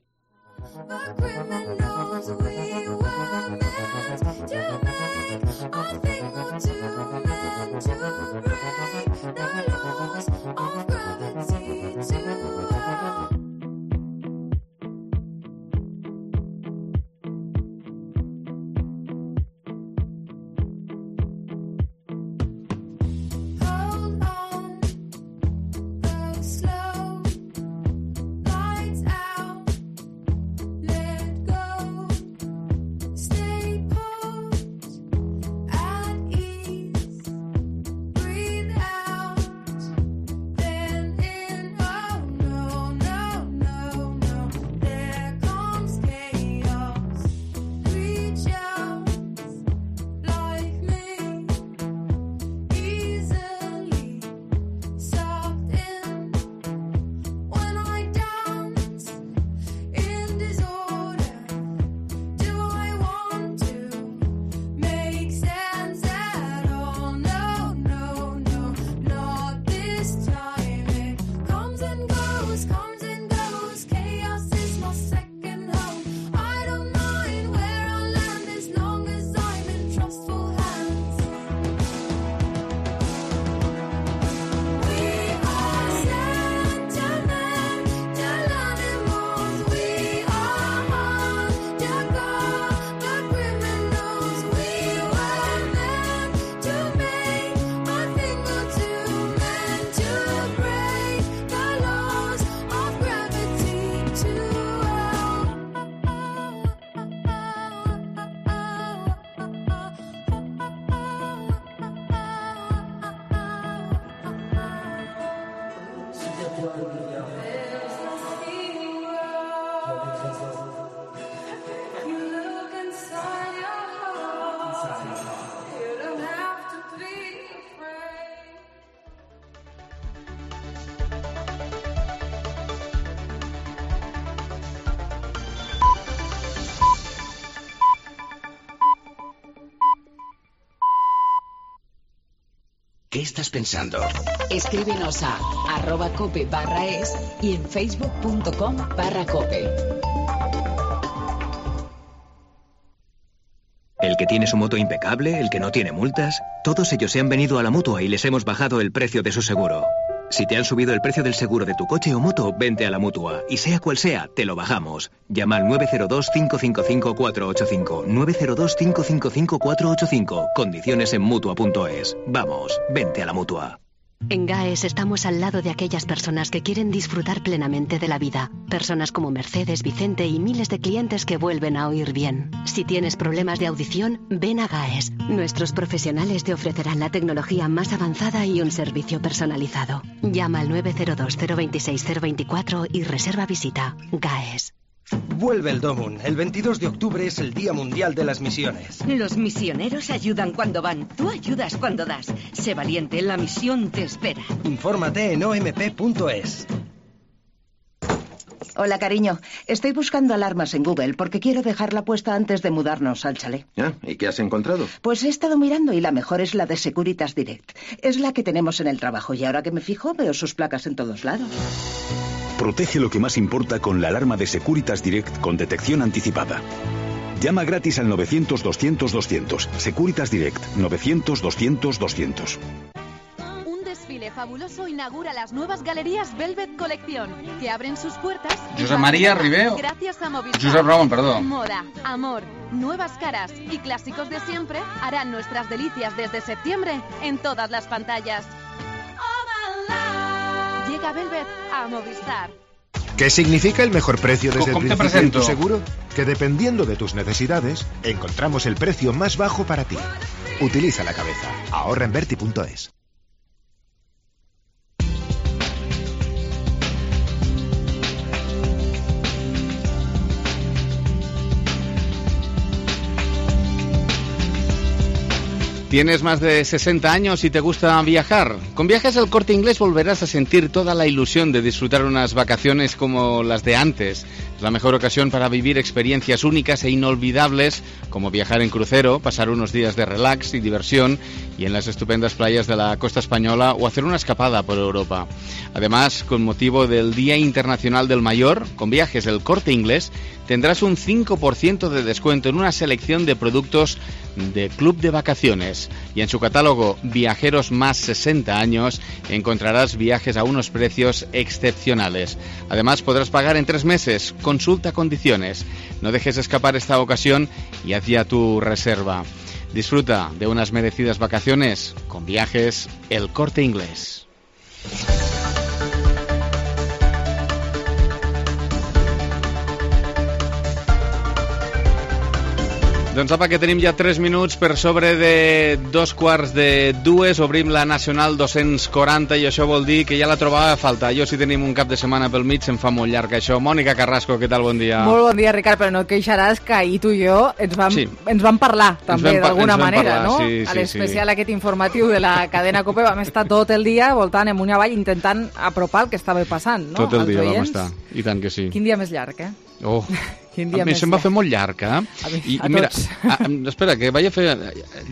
¿Qué estás pensando? Escríbenos a @cope/es y en facebook.com/cope. El que tiene su moto impecable, el que no tiene multas, todos ellos se han venido a la Mutua y les hemos bajado el precio de su seguro. Si te han subido el precio del seguro de tu coche o moto, vente a la Mutua. Y sea cual sea, te lo bajamos. Llama al 902-555-485. 902-555-485. Condiciones en Mutua.es. Vamos, vente a la Mutua. En GAES estamos al lado de aquellas personas que quieren disfrutar plenamente de la vida. Personas como Mercedes, Vicente y miles de clientes que vuelven a oír bien. Si tienes problemas de audición, ven a GAES. Nuestros profesionales te ofrecerán la tecnología más avanzada y un servicio personalizado. Llama al 902-026-024 y reserva visita. GAES. Vuelve el Domun. El 22 de octubre es el Día Mundial de las Misiones. Los misioneros ayudan cuando van. Tú ayudas cuando das. Sé valiente, la misión te espera. Infórmate en omp.es. Hola, cariño. Estoy buscando alarmas en Google porque quiero dejarla puesta antes de mudarnos al chalet. ¿Y qué has encontrado? Pues he estado mirando y la mejor es la de Securitas Direct. Es la que tenemos en el trabajo y ahora que me fijo veo sus placas en todos lados. Protege lo que más importa con la alarma de Securitas Direct con detección anticipada. Llama gratis al 900-200-200. Securitas Direct, 900-200-200. Un desfile fabuloso inaugura las nuevas galerías Velvet Collection, que abren sus puertas... Josep María Ribeo. Gracias a Movistar. Josep Ramón, perdón. Moda, amor, nuevas caras y clásicos de siempre harán nuestras delicias desde septiembre en todas las pantallas. Llega Velvet a Movistar. ¿Qué significa el mejor precio desde el principio en tu seguro? Que dependiendo de tus necesidades, encontramos el precio más bajo para ti. Utiliza la cabeza. Ahorra en Verti.es. ¿Tienes más de 60 años y te gusta viajar? Con Viajes El Corte Inglés volverás a sentir toda la ilusión de disfrutar unas vacaciones como las de antes. Es la mejor ocasión para vivir experiencias únicas e inolvidables, como viajar en crucero, pasar unos días de relax y diversión y en las estupendas playas de la costa española o hacer una escapada por Europa. Además, con motivo del Día Internacional del Mayor, con Viajes El Corte Inglés tendrás un 5% de descuento en una selección de productos de Club de Vacaciones. Y en su catálogo Viajeros más 60 años encontrarás viajes a unos precios excepcionales. Además podrás pagar en 3 meses. Consulta condiciones. No dejes escapar esta ocasión y haz ya tu reserva. Disfruta de unas merecidas vacaciones con Viajes El Corte Inglés. Doncs apa, que tenim ja 3 minuts per sobre de 2:45. Obrim la Nacional 240 i això vol dir que ja la trobava a faltar. Jo, si tenim un cap de setmana pel mig, se'm fa molt llarg això. Mònica Carrasco, què tal? Bon dia. Molt bon dia, Ricard, però no et queixaràs que ahir tu i jo ens vam parlar també d'alguna manera, no? Sí, a l'especial aquest informatiu de la cadena COPE vam estar tot el dia voltant amunt i avall intentant apropar el que estava passant, no? Tot el dia vam estar, i tant que sí. Quin dia més llarg, eh? Oh, a mi se'm va fer molt llarg, eh? I mira, espera, que vaig a fer...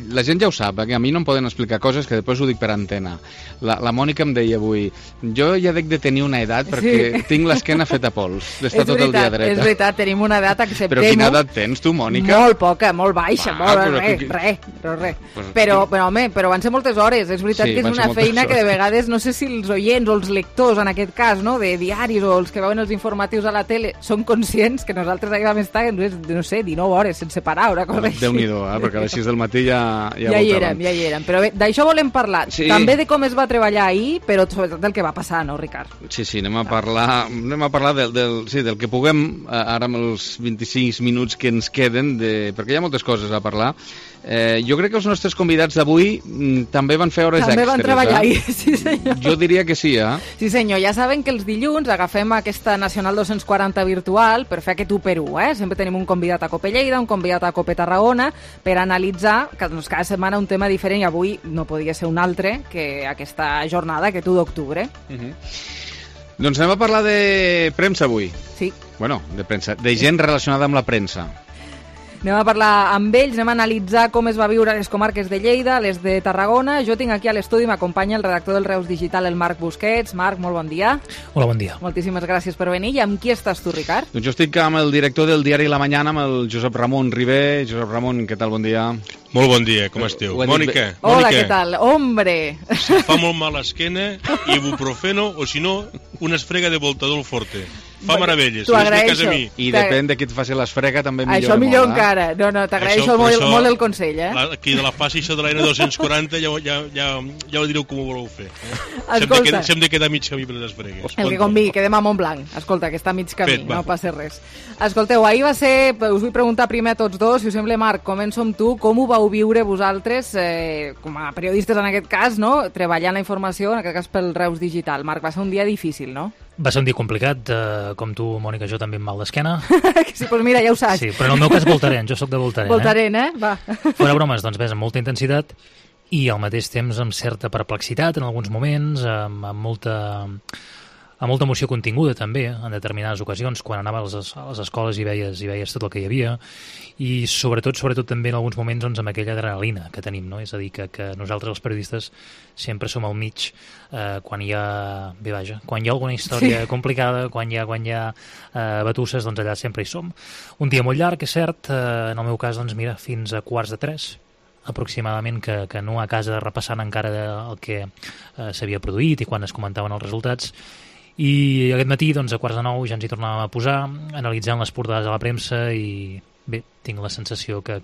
La gent ja ho sap, que a mi no em poden explicar coses que després ho dic per antena. La Mònica em deia avui, jo ja dec de tenir una edat perquè tinc l'esquena feta pols, d'estar tot el dia dreta. És veritat, tenim una edat, acceptem-ho. Però quina edat tens tu, Mònica? Molt poca, molt baixa, res. Però van ser moltes hores, és veritat que és una feina que de vegades, no sé si els oients o els lectors, en aquest cas, no, de diaris o els que veuen els informatius a la tele, són conscients que nosaltres aquí vam estar, no sé, 19 hores sense parar, una cosa així. Déu-n'hi-do, perquè a les 6 del matí ja hi érem. Però bé, d'això volem parlar. Sí. També de com es va treballar ahir, però sobretot del que va passar, no, Ricard? Sí, anem a parlar del que puguem, ara amb els 25 minuts que ens queden, perquè hi ha moltes coses a parlar. Jo crec que els nostres convidats d'avui també van fer hores extres. També van treballar ahir, sí senyor. Jo diria que sí, eh? Sí senyor, ja saben que els dilluns agafem aquesta Nacional 240 virtual per fer aquest 1x1, eh? Sempre tenim un convidat a Cope Lleida, un convidat a Cope Tarragona, per analitzar cada setmana un tema diferent, i avui no podia ser un altre que aquesta jornada, aquest 1 d'octubre. Doncs anem a parlar de premsa avui. Sí. Bueno, de premsa, de gent relacionada amb la premsa. Anem a parlar amb ells, anem a analitzar com es va viure a les comarques de Lleida, les de Tarragona. Jo tinc aquí a l'estudi, m'acompanya el redactor del Reus Digital, el Marc Busquets. Marc, molt bon dia. Hola, bon dia. Moltíssimes gràcies per venir. I amb qui estàs tu, Ricard? Doncs jo estic amb el director del diari La Mañana, amb el Josep Ramon Ribé. Josep Ramon, què tal? Bon dia. Molt bon dia, com esteu? Mònica. Hola, què tal? Hombre! Si fa molt mal l'esquena, ibuprofeno, o si no, una esfrega de Voltadol Forte. Fa meravelles. T'ho agraeixo. I depèn de qui et faci l'esfrega, també millora molt. Això millor encara. No, t'agraeixo molt el consell, eh? Aquí de la fase això de la N240 ja ho direu com ho voleu fer. Escolta. S'hem de quedar mig camí per les esfregues. El que convingui, quedem a Montblanc. Escolta, que està mig camí, no passa res. Escolteu, ahir va ser... Us vull preguntar primer a tots dos, si us sembla, Marc, començo amb tu. Com ho vau viure vosaltres, com a periodistes en aquest cas, no? Treballant la informació, en aquest cas pel Reus Digital. Marc, va ser un dia difícil, no? Va ser un dia complicat, com tu, Mònica, jo també amb mal d'esquena. Sí, doncs mira, ja ho saps. Sí, però en el meu cas Voltaren, jo sóc de Voltaren. Voltaren, Va. Fora bromes, doncs ves, amb molta intensitat i al mateix temps amb certa perplexitat en alguns moments, amb molta emoció continguda també en determinades ocasions, quan anava a les escoles i veies tot el que hi havia, i sobretot també en alguns moments doncs, amb aquella adrenalina que tenim, no? És a dir, que nosaltres els periodistes sempre som al mig quan hi ha alguna història complicada, quan hi ha batusses, doncs allà sempre hi som. Un dia molt llarg, és cert, en el meu cas, doncs mira, fins a 2:45 aproximadament, que no a casa repassant encara el que s'havia produït i quan es comentaven els resultats. I aquest matí, doncs, a 8:45 ja ens hi tornàvem a posar, analitzant les portades de la premsa i bé, tinc la sensació que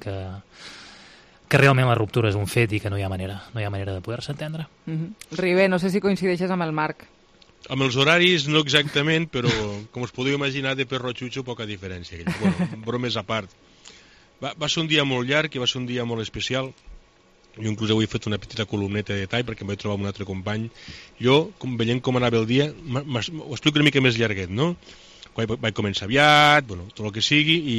realment la ruptura és un fet i que no hi ha manera de poder-se entendre. Ribé, no sé si coincideixes amb el Marc. Amb els horaris no exactament, però com us podeu imaginar, de Perro Xucho poca diferència. Bueno, bromes a part. Va ser un dia molt llarg i va ser un dia molt especial. Jo inclús avui he fet una petita columneta de detall perquè em vaig trobar amb un altre company. Jo, veient com anava el dia, ho explico una mica més llarguet, no? Vaig començar aviat, tot el que sigui, i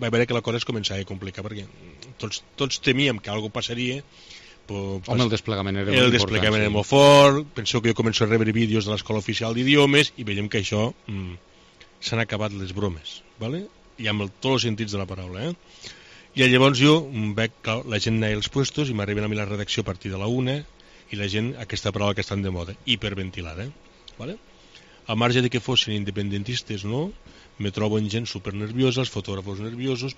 vaig veure que la cosa es començava a complicar perquè tots temíem que alguna passaria. Home, el desplegament era molt important. El desplegament era molt fort. Penseu que jo començo a rebre vídeos de l'Escola Oficial d'Idiomes i veiem que això s'han acabat les bromes, ¿vale? I amb tots els sentits de la paraula, I llavors jo veig que la gent anava als puestos i m'arriben a mi la redacció a partir de la 1 i la gent, aquesta paraula que estan de moda, hiperventilada, ¿vale? Al marge de que fossin independentistes, no? Me trobo en gent supernerviosa, els fotògrafos nerviosos,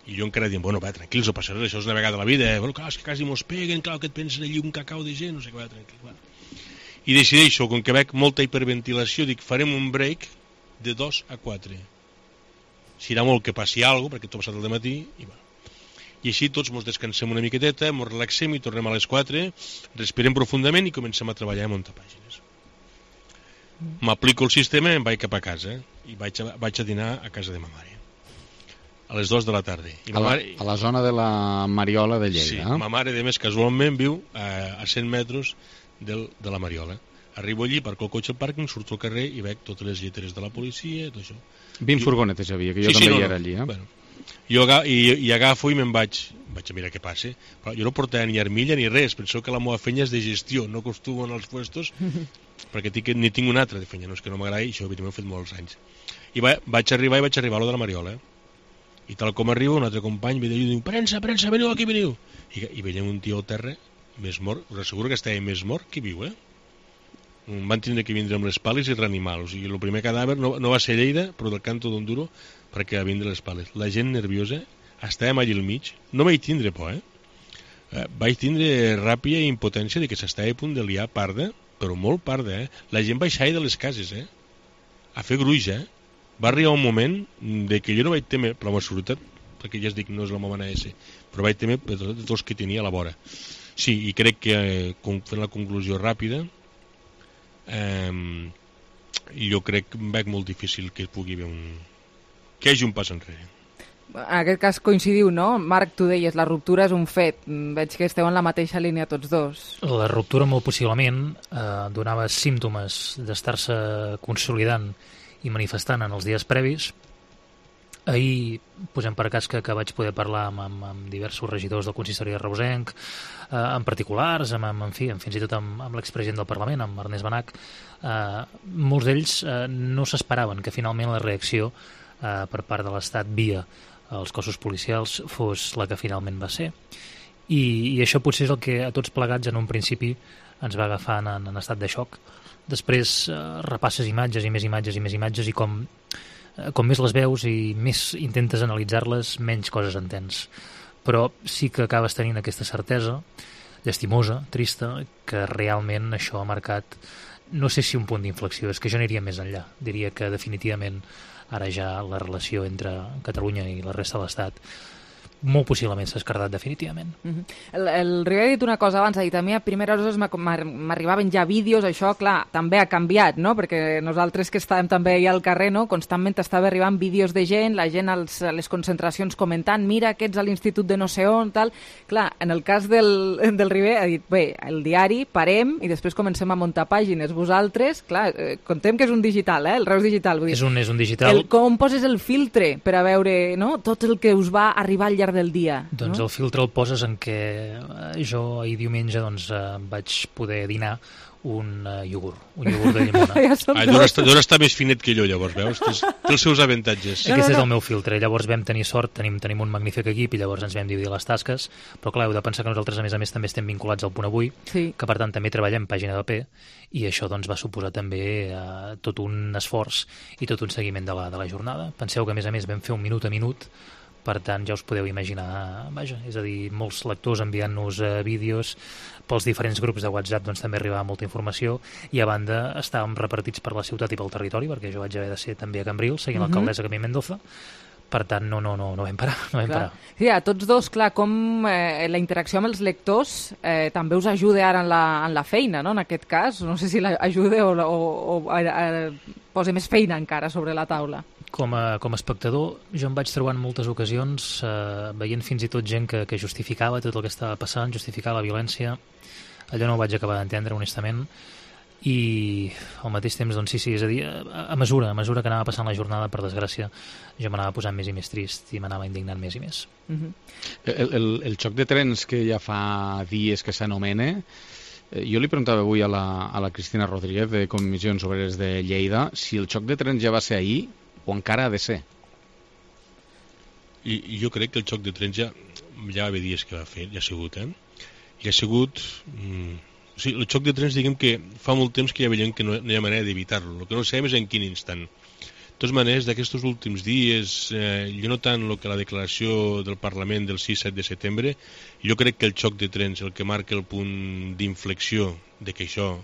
i jo encara dient, tranquils, no passa res, això és una vegada a la vida, clar, és que quasi mos peguen, clar, que et pensen allí un cacau de gent, no sé què, tranquil, I decideixo, com que veig molta hiperventilació, dic, farem un break de 2 a 4. Serà molt que passi alguna cosa, perquè tot ha passat el dematí, i així tots ens descansem una miqueteta, ens relaxem i tornem a les 4, respirem profundament i comencem a treballar a muntar pàgines. M'aplico el sistema i em vaig cap a casa, i vaig a dinar a casa de ma mare, a les 2 de la tarda. A la zona de la Mariola de Lleida. Sí, ma mare, de més, casualment viu a 100 metres de la Mariola. Arribo allí, parco el cotxe al pàrquing, surto al carrer i veig totes les lleteres de la policia, tot això. 20 furgonetes hi havia, que jo també hi era allí. Jo agafo i me'n vaig a mirar què passa. Però jo no portava ni armilla ni res, penseu que la meva feina és de gestió, no acostumo en els puestos, perquè ni tinc una altra de feina, no és que no m'agradi, això m'ho he fet molts anys. I vaig arribar a lo de la Mariola, i tal com arribo, un altre company ve d'allà i diu, premsa, veniu aquí, veniu. I veiem un tio al terra, més mort, us asseguro que estava més mort que viu, Van tindre que vindre amb les pales i reanimar-lo. O sigui, el primer cadàver no va ser Lleida, però del Canto d'Onduro, perquè va vindre les pales. La gent nerviosa, estàvem allà al mig, no vaig tindre por, Vaig tindre ràpia i impotència de que s'estava a punt de liar parda, però molt parda, La gent baixava de les cases, a fer gruix, Va arribar un moment de que jo no vaig temer per la meva seguretat, perquè ja es dic, no és la meva manera de ser, però vaig temer per tots els que tenia a la vora. Sí, i crec que, fent la conclusió ràpida, jo crec que veig molt difícil que pugui haver que hi hagi un pas enrere. En aquest cas coincidiu, no? Marc, tu deies, la ruptura és un fet. Veig que esteu en la mateixa línia tots dos. La ruptura molt possiblement donava símptomes d'estar-se consolidant i manifestant en els dies previs. Ahir, posem per cas que vaig poder parlar amb diversos regidors del consistori de Reusenc, en particulars, fins i tot amb l'expresident del Parlament, amb Ernest Benach. Molts d'ells no s'esperaven que finalment la reacció per part de l'Estat via als cossos policials fos la que finalment va ser. I això potser és el que a tots plegats en un principi ens va agafar en estat de xoc. Després repasses imatges i més imatges i més imatges i com més les veus i més intentes analitzar-les, menys coses entens. Però sí que acabes tenint aquesta certesa, llastimosa, trista, que realment això ha marcat, no sé si un punt d'inflexió, és que jo aniria més enllà. Diria que definitivament ara ja la relació entre Catalunya i la resta de l'Estat molt possiblement s'ha escardat definitivament. El Ribé ha dit una cosa abans, ha dit a mi a primeres hores m'arribaven ja vídeos, això clar, també ha canviat, no? Perquè nosaltres que estàvem també allà al carrer, no? Constantment estava arribant vídeos de gent, la gent a les concentracions comentant, mira aquests a l'institut de no sé on, tal. Clar, en el cas del Ribé ha dit, bé, el diari, parem i després comencem a muntar pàgines. Vosaltres, clar, contem que és un digital, el Reus digital. Vull dir, és un digital. Com poses el filtre per a veure, no?, tot el que us va arribar al llarg del dia. Doncs no? El filtre el poses en què jo ahir diumenge vaig poder dinar un iogurt de llimona. Dona està més finet que jo, llavors, veus? Té els seus avantatges. Aquest és el meu filtre. Llavors vam tenir sort, tenim un magnífic equip i llavors ens vam dividir les tasques, però clar, heu de pensar que nosaltres, a més també estem vinculats al Punt Avui, que per tant també treballem pàgina de paper, i això doncs va suposar també tot un esforç i tot un seguiment de la jornada. Penseu que, a més vam fer un minut a minut, per tant, ja us podeu imaginar, vaja, és a dir, molts lectors enviant-nos vídeos, pels diferents grups de WhatsApp doncs també arribava molta informació, i a banda estàvem repartits per la ciutat i pel territori, perquè jo vaig haver de ser també a Cambrils, seguint l'alcaldessa Camí Mendoza, per tant, no vam parar. Sí, a tots dos, clar, com la interacció amb els lectors també us ajuda ara en la feina, no?, en aquest cas. No sé si l'ajuda o posa més feina encara sobre la taula. Com a espectador, jo em vaig trobar en moltes ocasions veient fins i tot gent que justificava tot el que estava passant, justificava la violència. Allò no ho vaig acabar d'entendre, honestament, i al mateix temps, doncs sí, és a dir, a mesura que anava passant la jornada, per desgràcia, jo m'anava posant més i més trist i m'anava indignant més i més. El xoc de trens que ja fa dies que s'anomena, jo li preguntava avui a la Cristina Rodríguez de Comissions Obreres de Lleida si el xoc de trens ja va ser ahir o encara ha de ser. I jo crec que el xoc de trens ja va haver dies que va fer, ja ha sigut, ja ha sigut... O sigui, el xoc de trens, diguem que fa molt temps que ja veiem que no hi ha manera d'evitar-lo. El que no sabem és en quin instant. De totes maneres, d'aquests últims dies, jo no tant que la declaració del Parlament del 6-7 de setembre, jo crec que el xoc de trens, el que marca el punt d'inflexió de que això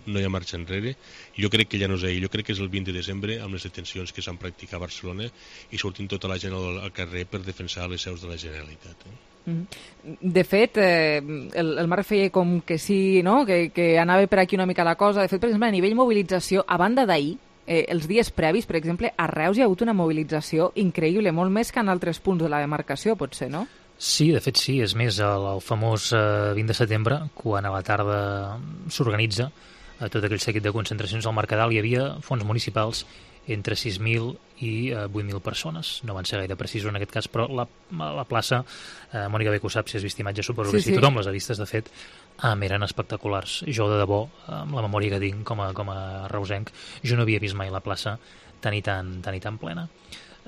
no hi ha marxa enrere, jo crec que ja no és ahir, jo crec que és el 20 de desembre amb les detencions que s'han practicat a Barcelona i sortint tota la gent al carrer per defensar les seus de la Generalitat. De fet, el Marc feia com que sí, no?, que anava per aquí una mica la cosa. De fet, per exemple, a nivell mobilització, a banda d'ahir, els dies previs, per exemple, a Reus hi ha hagut una mobilització increïble, molt més que en altres punts de la demarcació, potser, no? Sí, de fet sí, és més el famós 20 de setembre, quan a la tarda s'organitza tot aquell seguit de concentracions al Mercadal. Hi havia fons municipals entre 6.000 i 8.000 persones. No van ser gaire precisos en aquest cas, però la plaça, Mònica Beco sap, si has vist imatges, suposo que sí, tothom les ha vistes, de fet, eren espectaculars. Jo, de debò, amb la memòria que tinc com a reusenc, jo no havia vist mai la plaça tan i tan plena.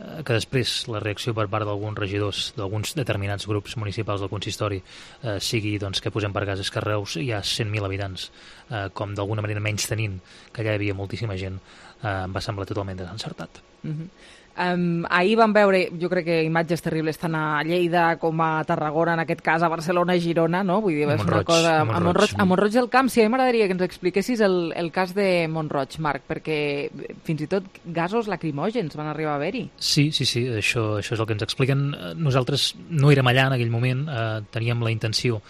Que després la reacció per part d'alguns regidors d'alguns determinats grups municipals del consistori sigui doncs, que posem per cas és que a Reus hi ha 100.000 habitants, com d'alguna manera menys tenint que allà hi havia moltíssima gent, em va semblar totalment desencertat. Ahir vam veure, jo crec que imatges terribles tant a Lleida com a Tarragona, en aquest cas a Barcelona i Girona, no? Vull dir, és una cosa... A Mont-roig del Camp, sí, a mi m'agradaria que ens expliquessis el cas de Mont-roig, Marc, perquè fins i tot gasos lacrimògens van arribar a haver-hi. Sí, això és el que ens expliquen. Nosaltres no érem allà en aquell moment, teníem la intenció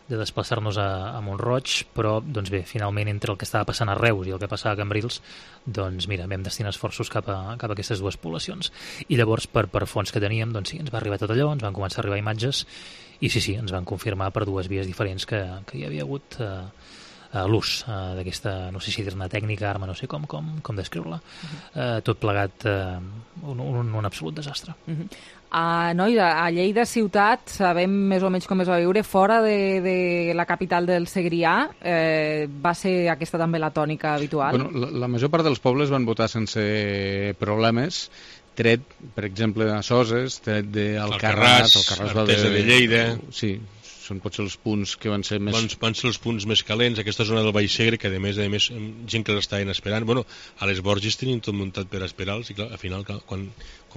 de desplaçar-nos a Mont-roig, però doncs bé, finalment entre el que estava passant a Reus i el que passava a Cambrils, doncs mira, vam destinar esforços cap a aquestes dues poblacions. I llavors, per fonts que teníem, doncs sí, ens va arribar tot allò, ens van començar a arribar imatges, i sí, ens van confirmar per dues vies diferents que hi havia hagut l'ús d'aquesta, no sé si dir-ne tècnica, arma, no sé com descriure-la, tot plegat un absolut desastre. A Lleida ciutat sabem més o menys com es va viure. Fora de la capital del Segrià va ser aquesta també la tònica habitual? Bueno, la major part dels pobles van votar sense problemes tret, per exemple, a Soses, tret d'Alcarràs, Artesa de Lleida... Sí, són potser els punts que van ser més... Van ser els punts més calents, aquesta zona del Baix Segre, que a més, gent que l'estaven esperant. Bueno, a les Borges tenien tot muntat per esperar-los, i clar, al final, quan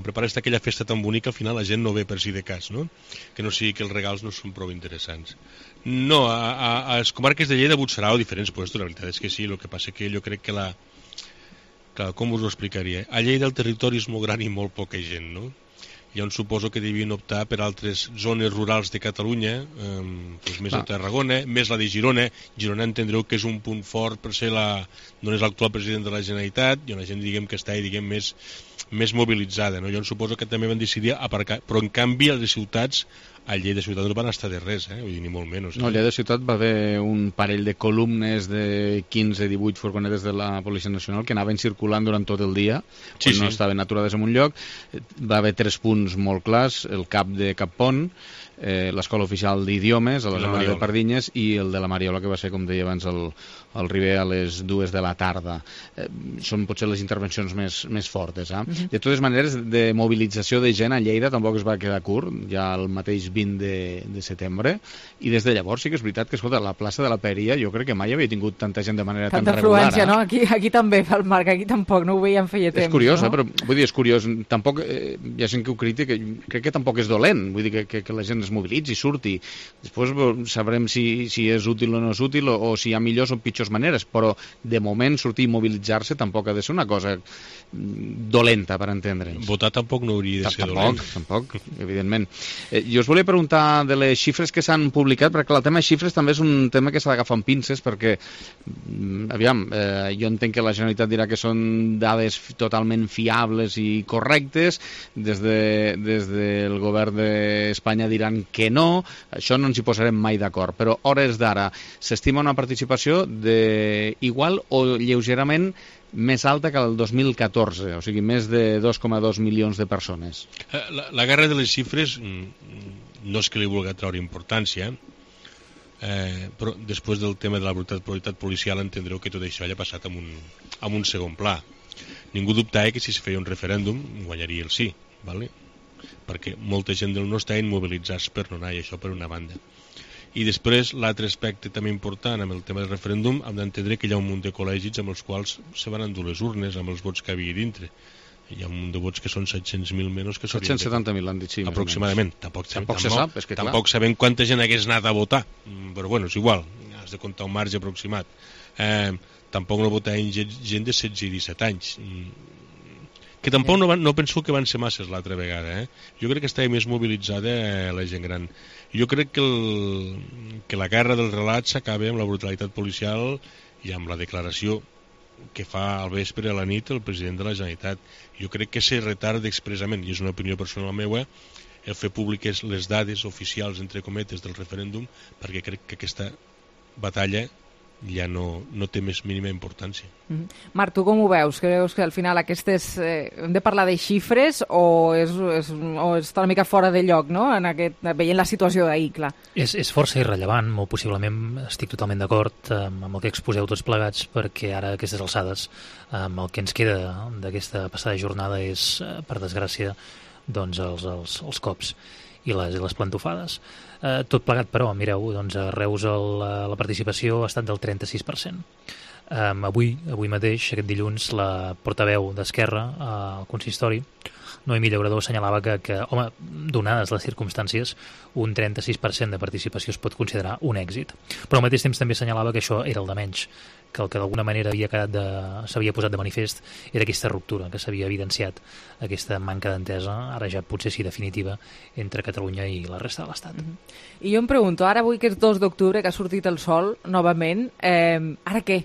prepares aquella festa tan bonica, al final la gent no ve per si de cas, no? Que no sigui que els regals no són prou interessants. No, a les comarques de Lleida, Butxarà o diferents puestos, la veritat és que sí, el que passa que jo crec que Clar, com us ho explicaria? A Lleida el territori és molt gran i molt poca gent, no? Llavors suposo que devien optar per altres zones rurals de Catalunya, més a Tarragona, més la de Girona. Girona entendreu que és un punt fort per ser no és l'actual president de la Generalitat, i una gent que està més mobilitzada. No? Llavors suposo que també van decidir aparcar, però en canvi a les ciutats, a Lleida Ciutat no van estar de res, vull dir, ni molt menys. No, a Lleida Ciutat va haver un parell de columnes de 15-18 furgonetes de la Policia Nacional que anaven circulant durant tot el dia, no estaven aturades en un lloc. Va haver 3 punts molt clars, el CAP de Cappont, l'Escola Oficial d'Idiomes a la zona de Pardinyes i el de la Mariola, que va ser, com deia abans, el Riber a les 2 de la tarda. Són potser les intervencions més fortes. De totes maneres, de mobilització de gent a Lleida tampoc es va quedar curt, ja el mateix 20 de setembre, i des de llavors sí que és veritat que, escolta, la plaça de la Peria jo crec que mai havia tingut tanta gent de manera tan regular. Tanta afluència, no? Aquí també, el Marc, aquí tampoc, no ho veiem feia temps. És curiós, però vull dir, és curiós. Tampoc, hi ha gent que ho critica, crec que tampoc és dolent, vull dir que la gent es mobilitzi, surti. Després sabrem si és útil o no és útil, o si hi ha millors o pitjors maneres, però de moment sortir i mobilitzar-se tampoc ha de ser una cosa dolenta, per entendre'ns. Votar tampoc no hauria de ser dolent. Tampoc, evidentment. Jo us volia preguntar de les xifres que s'han publicat, perquè el tema de xifres també és un tema que s'ha d'agafar amb pinces, perquè, aviam, jo entenc que la Generalitat dirà que són dades totalment fiables i correctes, des del govern d'Espanya diran que no, això no ens hi posarem mai d'acord, però hores d'ara s'estima una participació igual o lleugerament més alta que el 2014, o sigui, més de 2,2 milions de persones. La guerra de les xifres no és que li vulgui treure importància, però després del tema de la brutalitat policial entendreu que tot això ja ha passat en un segon pla. Ningú dubtava que si es feia un referèndum guanyaria el sí, ¿vale? Perquè molta gent no estaven mobilitzats per no anar, i això per una banda. I després, l'altre aspecte també important amb el tema del referèndum, hem d'entendre que hi ha un munt de col·legis amb els quals se van endur les urnes, amb els vots que havia dintre. Hi ha un munt de vots que són 700.000 menys que 770.000 han dit, sí. Aproximadament. Tampoc se sap, és que clar. Tampoc sabem quanta gent hagués anat a votar, però bueno, és igual, has de comptar un marge aproximat. Tampoc no votaven gent de 16 i 17 anys. Que tampoc no penso que van ser masses l'altra vegada. Jo crec que estava més mobilitzada la gent gran. Jo crec que la guerra del relat s'acaba amb la brutalitat policial i amb la declaració que fa al vespre a la nit el president de la Generalitat. Jo crec que se retarda expressament, i és una opinió personal meva, el fer públiques les dades oficials, entre cometes, del referèndum, perquè crec que aquesta batalla ja no té més mínima importància. Marc, tu com ho veus? Creus que al final aquestes... hem de parlar de xifres o està una mica fora de lloc, no? Veient la situació d'ahir, clar. És força irrellevant, molt possiblement estic totalment d'acord amb el que exposeu tots plegats, perquè ara a aquestes alçades el que ens queda d'aquesta passada jornada és, per desgràcia, doncs els cops i les plantofades. Tot plegat, però, mireu, doncs a Reus la participació ha estat del 36%. Avui mateix, aquest dilluns, la portaveu d'Esquerra al consistori, Noemí Llaurador, assenyalava que, home, donades les circumstàncies, un 36% de participació es pot considerar un èxit. Però al mateix temps també assenyalava que això era el de menys, que el que d'alguna manera s'havia posat de manifest era aquesta ruptura, que s'havia evidenciat aquesta manca d'entesa, ara ja potser sí definitiva, entre Catalunya i la resta de l'Estat. I jo em pregunto, ara avui que és 2 d'octubre, que ha sortit el sol novament, ara què?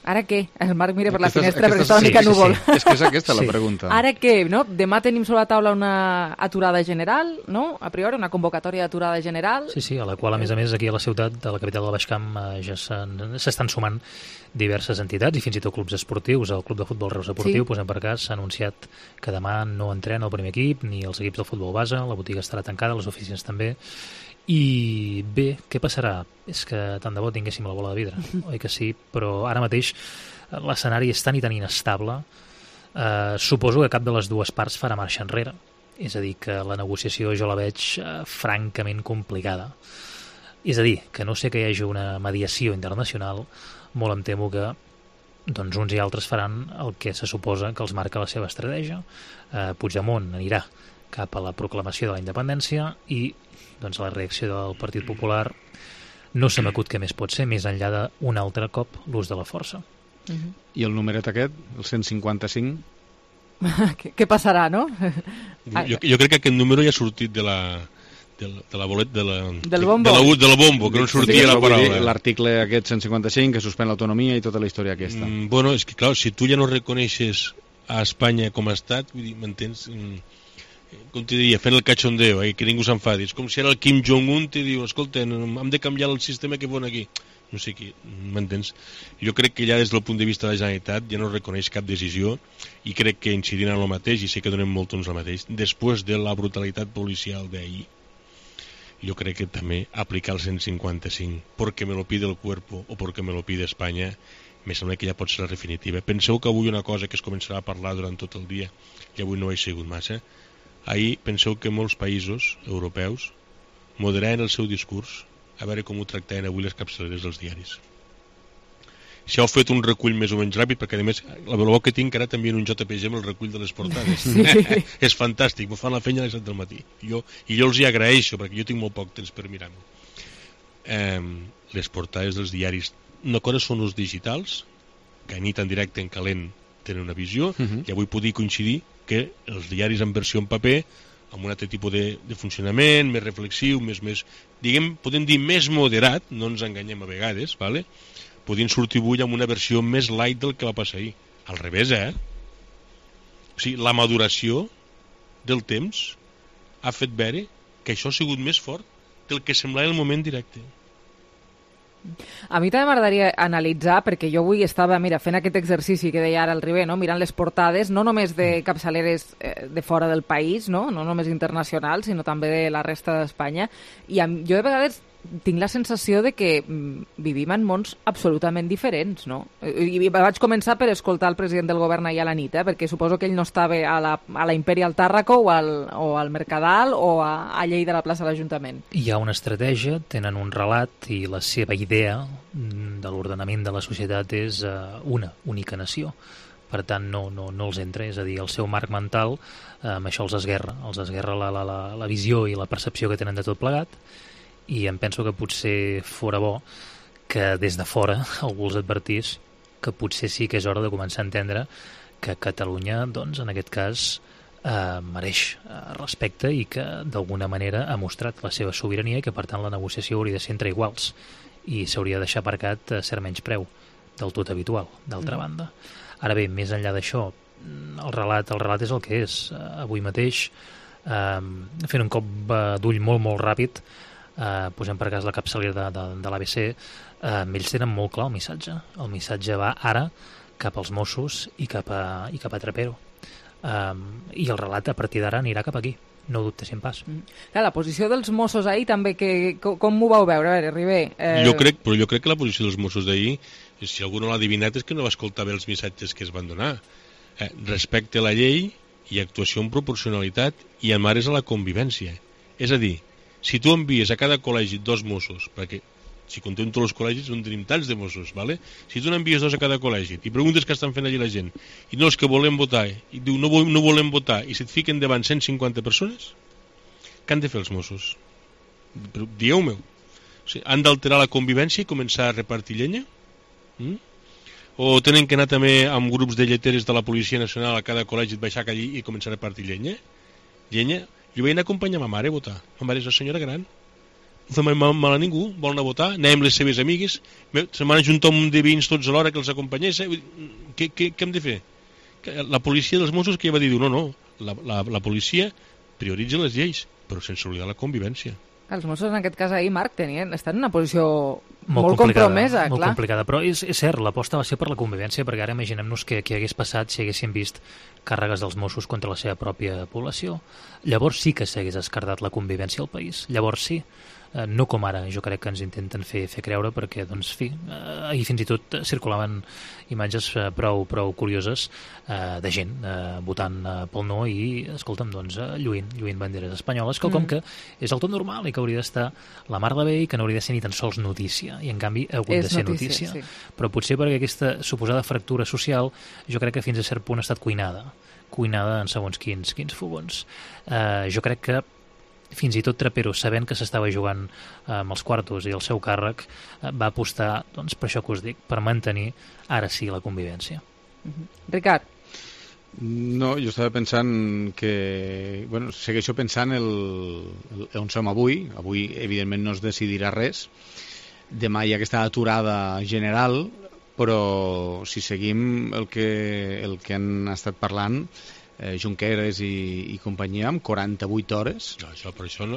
Ara què? El Marc mira per la finestra perquè està una mica núvol. És que és aquesta la pregunta. Ara què? No? Demà tenim sobre la taula una aturada general, no? A priori, una convocatòria d'aturada general. Sí, a la qual, a més, aquí a la ciutat, a la capital del Baix Camp, ja s'estan sumant diverses entitats i fins i tot clubs esportius. El Club de Futbol Reus Esportiu, posem per cas, s'ha anunciat que demà no entrena el primer equip, ni els equips del futbol base, la botiga estarà tancada, les oficines també. I bé, què passarà? És que tant de bo tinguéssim la bola de vidre, oi que sí? Però ara mateix l'escenari és tan i tan inestable Suposo que cap de les dues parts farà marxa enrere. És a dir, que la negociació jo la veig francament complicada. És a dir, que no sé que hi hagi una mediació internacional, molt em temo que doncs uns i altres faran el que se suposa que els marca la seva estratègia. Puigdemont anirà cap a la proclamació de la independència i doncs la reacció del Partit Popular no se m'acut què més pot ser, més enllà d'un altre cop l'ús de la força. I el numeret aquest, el 155? Què passarà, no? Jo crec que aquest número ja ha sortit de la bolet, del bombo, que no sortia la paraula. L'article aquest 155 que suspèn l'autonomia i tota la història aquesta. Bueno, és que clar, si tu ja no reconeixes a Espanya com a estat, vull dir, m'entens? Com t'hi diria, fent el cachondeo, que ningú s'enfadi. És com si ara el Kim Jong-un t'hi diu, escolta, hem de canviar el sistema que pon aquí. No sé qui, m'entens? Jo crec que ja des del punt de vista de la Generalitat ja no reconeix cap decisió i crec que incidint en el mateix, i sé que donem molt temps al mateix, després de la brutalitat policial d'ahir, jo crec que també aplicar el 155 porque me lo pide el cuerpo o porque me lo pide Espanya, me sembla que ja pot ser la definitiva. Penseu que avui una cosa que es començarà a parlar durant tot el dia, i avui no ho he sigut massa, ahir penseu que molts països europeus moderaven el seu discurs a veure com ho tractaven avui les capçaleres dels diaris. Si heu fet un recull més o menys ràpid, perquè a més la bo que tinc ara també en un JPG amb el recull de les portades. Sí. És fantàstic, m'ho fan la feina a les 7 del matí. I jo els hi agraeixo, perquè jo tinc molt poc temps per mirar-ho. Les portades dels diaris, una cosa són els digitals, que a nit en directe, en calent, tenen una visió, i avui podia coincidir que els diaris en versió en paper, amb un altre tipus de funcionament, més reflexiu, més diguem, podem dir més moderat, no ens enganyem a vegades, vale? Podien sortir avui amb una versió més light del que va passar ahir. Al revés, O sigui, la maduració del temps ha fet veure que això ha sigut més fort del que semblava el moment directe. A mi també m'agradaria analitzar, perquè jo avui estava fent aquest exercici que deia ara el Ribé, no? Mirant les portades, no només de capçaleres de fora del país, no només internacionals, sinó també de la resta d'Espanya, i jo de vegades tinc la sensació de que vivim en mons absolutament diferents, no? I vaig començar per escoltar el president del govern ahir a la nit, perquè suposo que ell no estava a la Imperial Tàrraco o al Mercadal o a Lleida, a la plaça de l'Ajuntament. Hi ha una estratègia, tenen un relat i la seva idea de l'ordenament de la societat és una única nació. Per tant, no els entra, és a dir, el seu marc mental, amb això els esguerra la visió i la percepció que tenen de tot plegat, i em penso que potser fora bo que des de fora algú els advertís que potser sí que és hora de començar a entendre que Catalunya, doncs, en aquest cas, mereix respecte i que d'alguna manera ha mostrat la seva sobirania i que per tant la negociació hauria de ser entre iguals i s'hauria de deixar aparcat cert menyspreu del tot habitual, d'altra banda. Ara bé, més enllà d'això, el relat és el que és. Avui mateix, fent un cop d'ull molt ràpid, posem per cas la capçalera de l'ABC, ells tenen molt clar el missatge va ara cap als Mossos i cap a Trapero, i el relat a partir d'ara anirà cap aquí, no ho dubtessin pas. La posició dels Mossos ahir també, com ho vau veure? A veure, Ribé... Jo crec que la posició dels Mossos d'ahir, si algú no l'ha adivinat, és que no va escoltar bé els missatges que es van donar. Respecte a la llei i actuació en proporcionalitat i en ares a la convivència. És a dir, si tu envies a cada col·legi 2 Mossos, perquè si contem tots els col·legis no tenim tants de Mossos, ¿vale? Si tu n'envies 2 a cada col·legi i preguntes què estan fent allí la gent i no els que volem votar, i diu no volem votar, i se't fiquen davant 150 persones, què han de fer els Mossos? Dieu-me, o sigui, han d'alterar la convivència i començar a repartir llenya? O tenen que anar també amb grups de lleteres de la Policia Nacional a cada col·legi, baixar allí i començar a repartir llenya? Jo vaig anar a acompanyar ma mare a votar. Ma mare és una senyora gran, no fem mal a ningú, vol anar a votar, anem amb les seves amigues, se m'han ajuntat un de veïns tots alhora que els acompanyés. Què hem de fer? La policia dels Mossos que ja va dir, no, la policia prioritza les lleis, però sense oblidar la convivència. Els Mossos en aquest cas ahir, Marc, estan en una posició molt compromesa, molt clar. Complicada, però és cert, l'aposta va ser per la convivència, perquè ara imaginem-nos què hagués passat si haguéssim vist càrregues dels Mossos contra la seva pròpia població. Llavors sí que s'hagués escardat la convivència al país, llavors sí. no com ara jo crec que ens intenten fer creure, perquè doncs, fi, ahir fins i tot circulaven imatges prou curioses de gent votant pel no i, escolta'm, doncs, lluint banderes espanyoles, quelcom que és el tot normal i que hauria d'estar la mar de bé i que no hauria de ser ni tan sols notícia, i en canvi ha hagut de ser notícia. Sí. Però potser perquè aquesta suposada fractura social jo crec que fins a cert punt ha estat cuinada en segons quins fogons. Jo crec que fins i tot Trapero, sabent que s'estava jugant amb els quartos i el seu càrrec, va apostar, doncs, per això que us dic, per mantenir ara sí la convivència. Ricard? No, jo estava pensant que... Bueno, segueixo pensant on som avui. Avui, evidentment, no es decidirà res. Demà hi ha aquesta aturada general, però si seguim el que han estat parlant, Junqueras i companyia, amb 48 hores... No,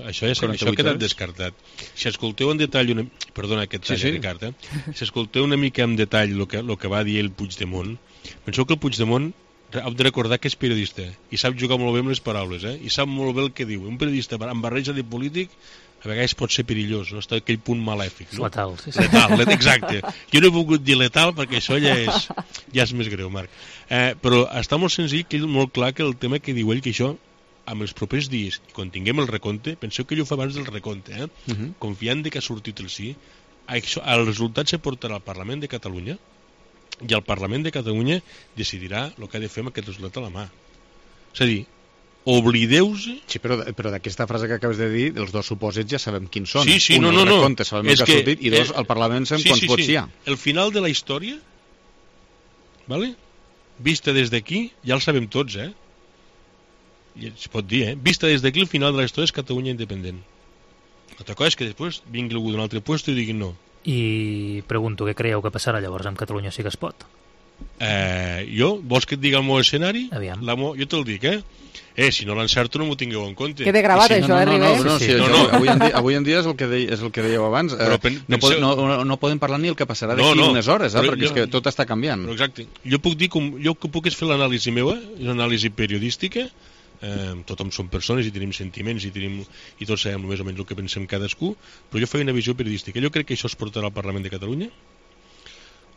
això ha quedat descartat. Si escolteu en detall... Perdona aquest tall, Ricard. Si escolteu una mica en detall el que va dir el Puigdemont, penseu que el Puigdemont heu de recordar que és periodista i sap jugar molt bé amb les paraules, i sap molt bé el que diu. Un periodista amb barreja de polític a vegades pot ser perillós, no? Està aquell punt malèfic, no? Letal, sí. Letal, exacte. Jo no he volgut dir letal perquè això ja és més greu, Marc. Però està molt senzill, molt clar que el tema que diu ell, que això amb els propers dies, i quan tinguem el recompte, penseu que ell ho fa abans del recompte, confiant que ha sortit el sí, el resultat se portarà al Parlament de Catalunya i el Parlament de Catalunya decidirà el que ha de fer amb aquest resultat a la mà. És a dir, oblideu-se... Sí, però d'aquesta frase que acabes de dir, els dos supòsits ja sabem quins són. Sí, un, el recompte, sabem el que ha sortit, i dos, al Parlament sabem quants vots hi ha. El final de la història, ¿vale? Vista des d'aquí, ja el sabem tots, I es pot dir, vista des d'aquí, el final de la història és Catalunya independent. L'altra cosa és que després vingui algú d'un altre lloc i digui no. I pregunto, què creieu que passarà llavors amb Catalunya sí que es pot? Vols que et digui el meu escenari? Aviam. Jo te'l dic, si no l'encerto no m'ho tingueu en compte. Queda gravat això, Ribé? Avui en dia és el que dèieu abans. No podem parlar ni el que passarà d'aquí unes hores, perquè és que tot està canviant. Però exacte. Jo que puc és fer l'anàlisi meva, és una anàlisi periodística, tothom som persones i tenim sentiments i tots sabem més o menys el que pensem cadascú, però jo faig una visió periodística. Jo crec que això es portarà al Parlament de Catalunya,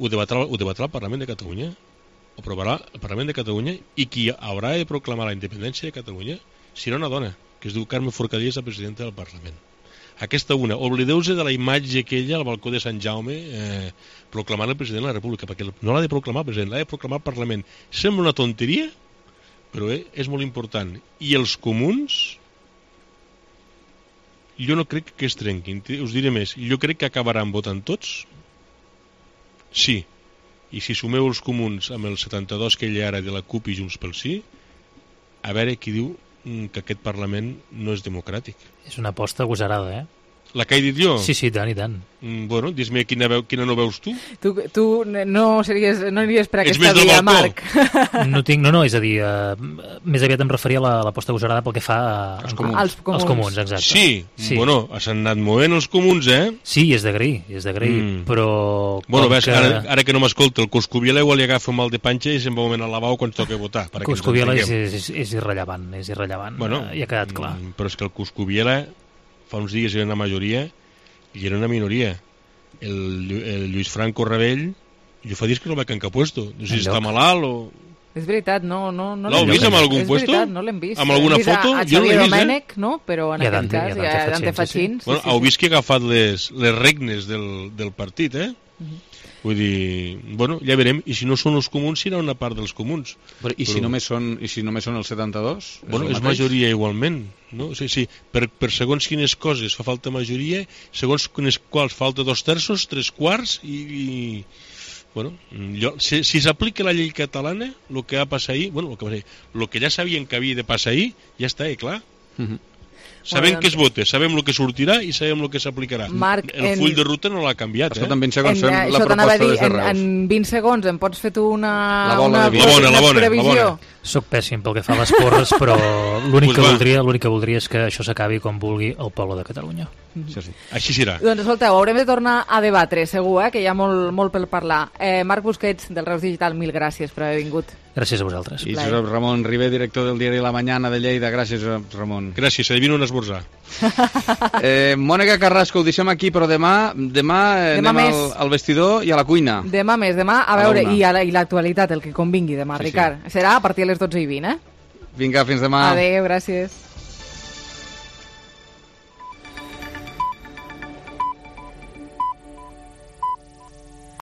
ho debatrà el Parlament de Catalunya, ho aprovarà el Parlament de Catalunya, i qui haurà de proclamar la independència de Catalunya serà una dona, que es diu Carme Forcadell, la presidenta del Parlament. Aquesta una, oblideu-se de la imatge aquella al balcó de Sant Jaume proclamant el president de la República, perquè no l'ha de proclamar el president, l'ha de proclamar el Parlament. Sembla una tonteria, però és molt important. I els comuns, jo no crec que es trenquin, us diré més, jo crec que acabaran votant tots, sí, i si sumeu els comuns amb el 72 que hi ha ara de la CUP i Junts pel Sí, a veure qui diu que aquest Parlament no és democràtic. És una aposta agosarada, La que he dit jo? Sí, tant i tant. Bueno, dis-me quina no veus tu? Tu no aniries per aquesta via, Marc. No, és a dir, més aviat em referia a l'aposta agosarada pel que fa als comuns, exacte. Sí, bueno, s'han anat movent els comuns, Sí, és d'agrair, però... Bueno, ves, ara que no m'escolta, el Coscubiela igual li agafa un mal de panxa i se'n va moment al lavabo quan toca votar. Coscubiela és irrellevant, ja ha quedat clar. Però és que el Coscubiela fa uns dies era una majoria i era una minoria. El Lluís Franco Rebell, jo fa dies que no veig en cap puesto. No sé si està malalt o... És veritat, no l'heu vist amb algun puesto? No l'hem vist. Amb alguna foto? A Xavier Domènech, no? Però en aquest cas hi ha Dante Fachín. Heu vist que ha agafat les regnes del partit, Vull dir, bueno, ja veurem, i si no són els comuns, serà una part dels comuns. I si només són el 72? Bueno, és majoria igualment, no? Sí, per segons quines coses fa falta majoria, segons quines quals falta 2/3, 3/4, i bueno, si s'aplica la llei catalana, el que va passar ahir, bueno, el que ja sabien que havia de passar ahir, ja està, clar. Sabem què es vota, sabem el que sortirà i sabem el que s'aplicarà. El full de ruta no l'ha canviat. Això en 20 segons fem la proposta des de Reus. En 20 segons em pots fer tu una previsió? Soc pèssim pel que fa a les porres, però l'únic que voldria és que això s'acabi com vulgui el poble de Catalunya. Això sí. Així serà. Doncs escolteu, haurem de tornar a debatre, segur, que hi ha molt per parlar. Marc Busquets, del Reus Digital, mil gràcies per haver vingut. Gràcies a vosaltres. I Josep Ramon Ribé, director del diari La Mañana de Lleida. Gràcies, Ramon. Gràcies, adivino un esmorzar. Mònica Carrasco, ho deixem aquí, però demà anem al vestidor i a la cuina. Demà més, a veure, i l'actualitat, el que convingui demà, Ricard. Serà a partir de les 12:20, Vinga, fins demà. Adéu, gràcies.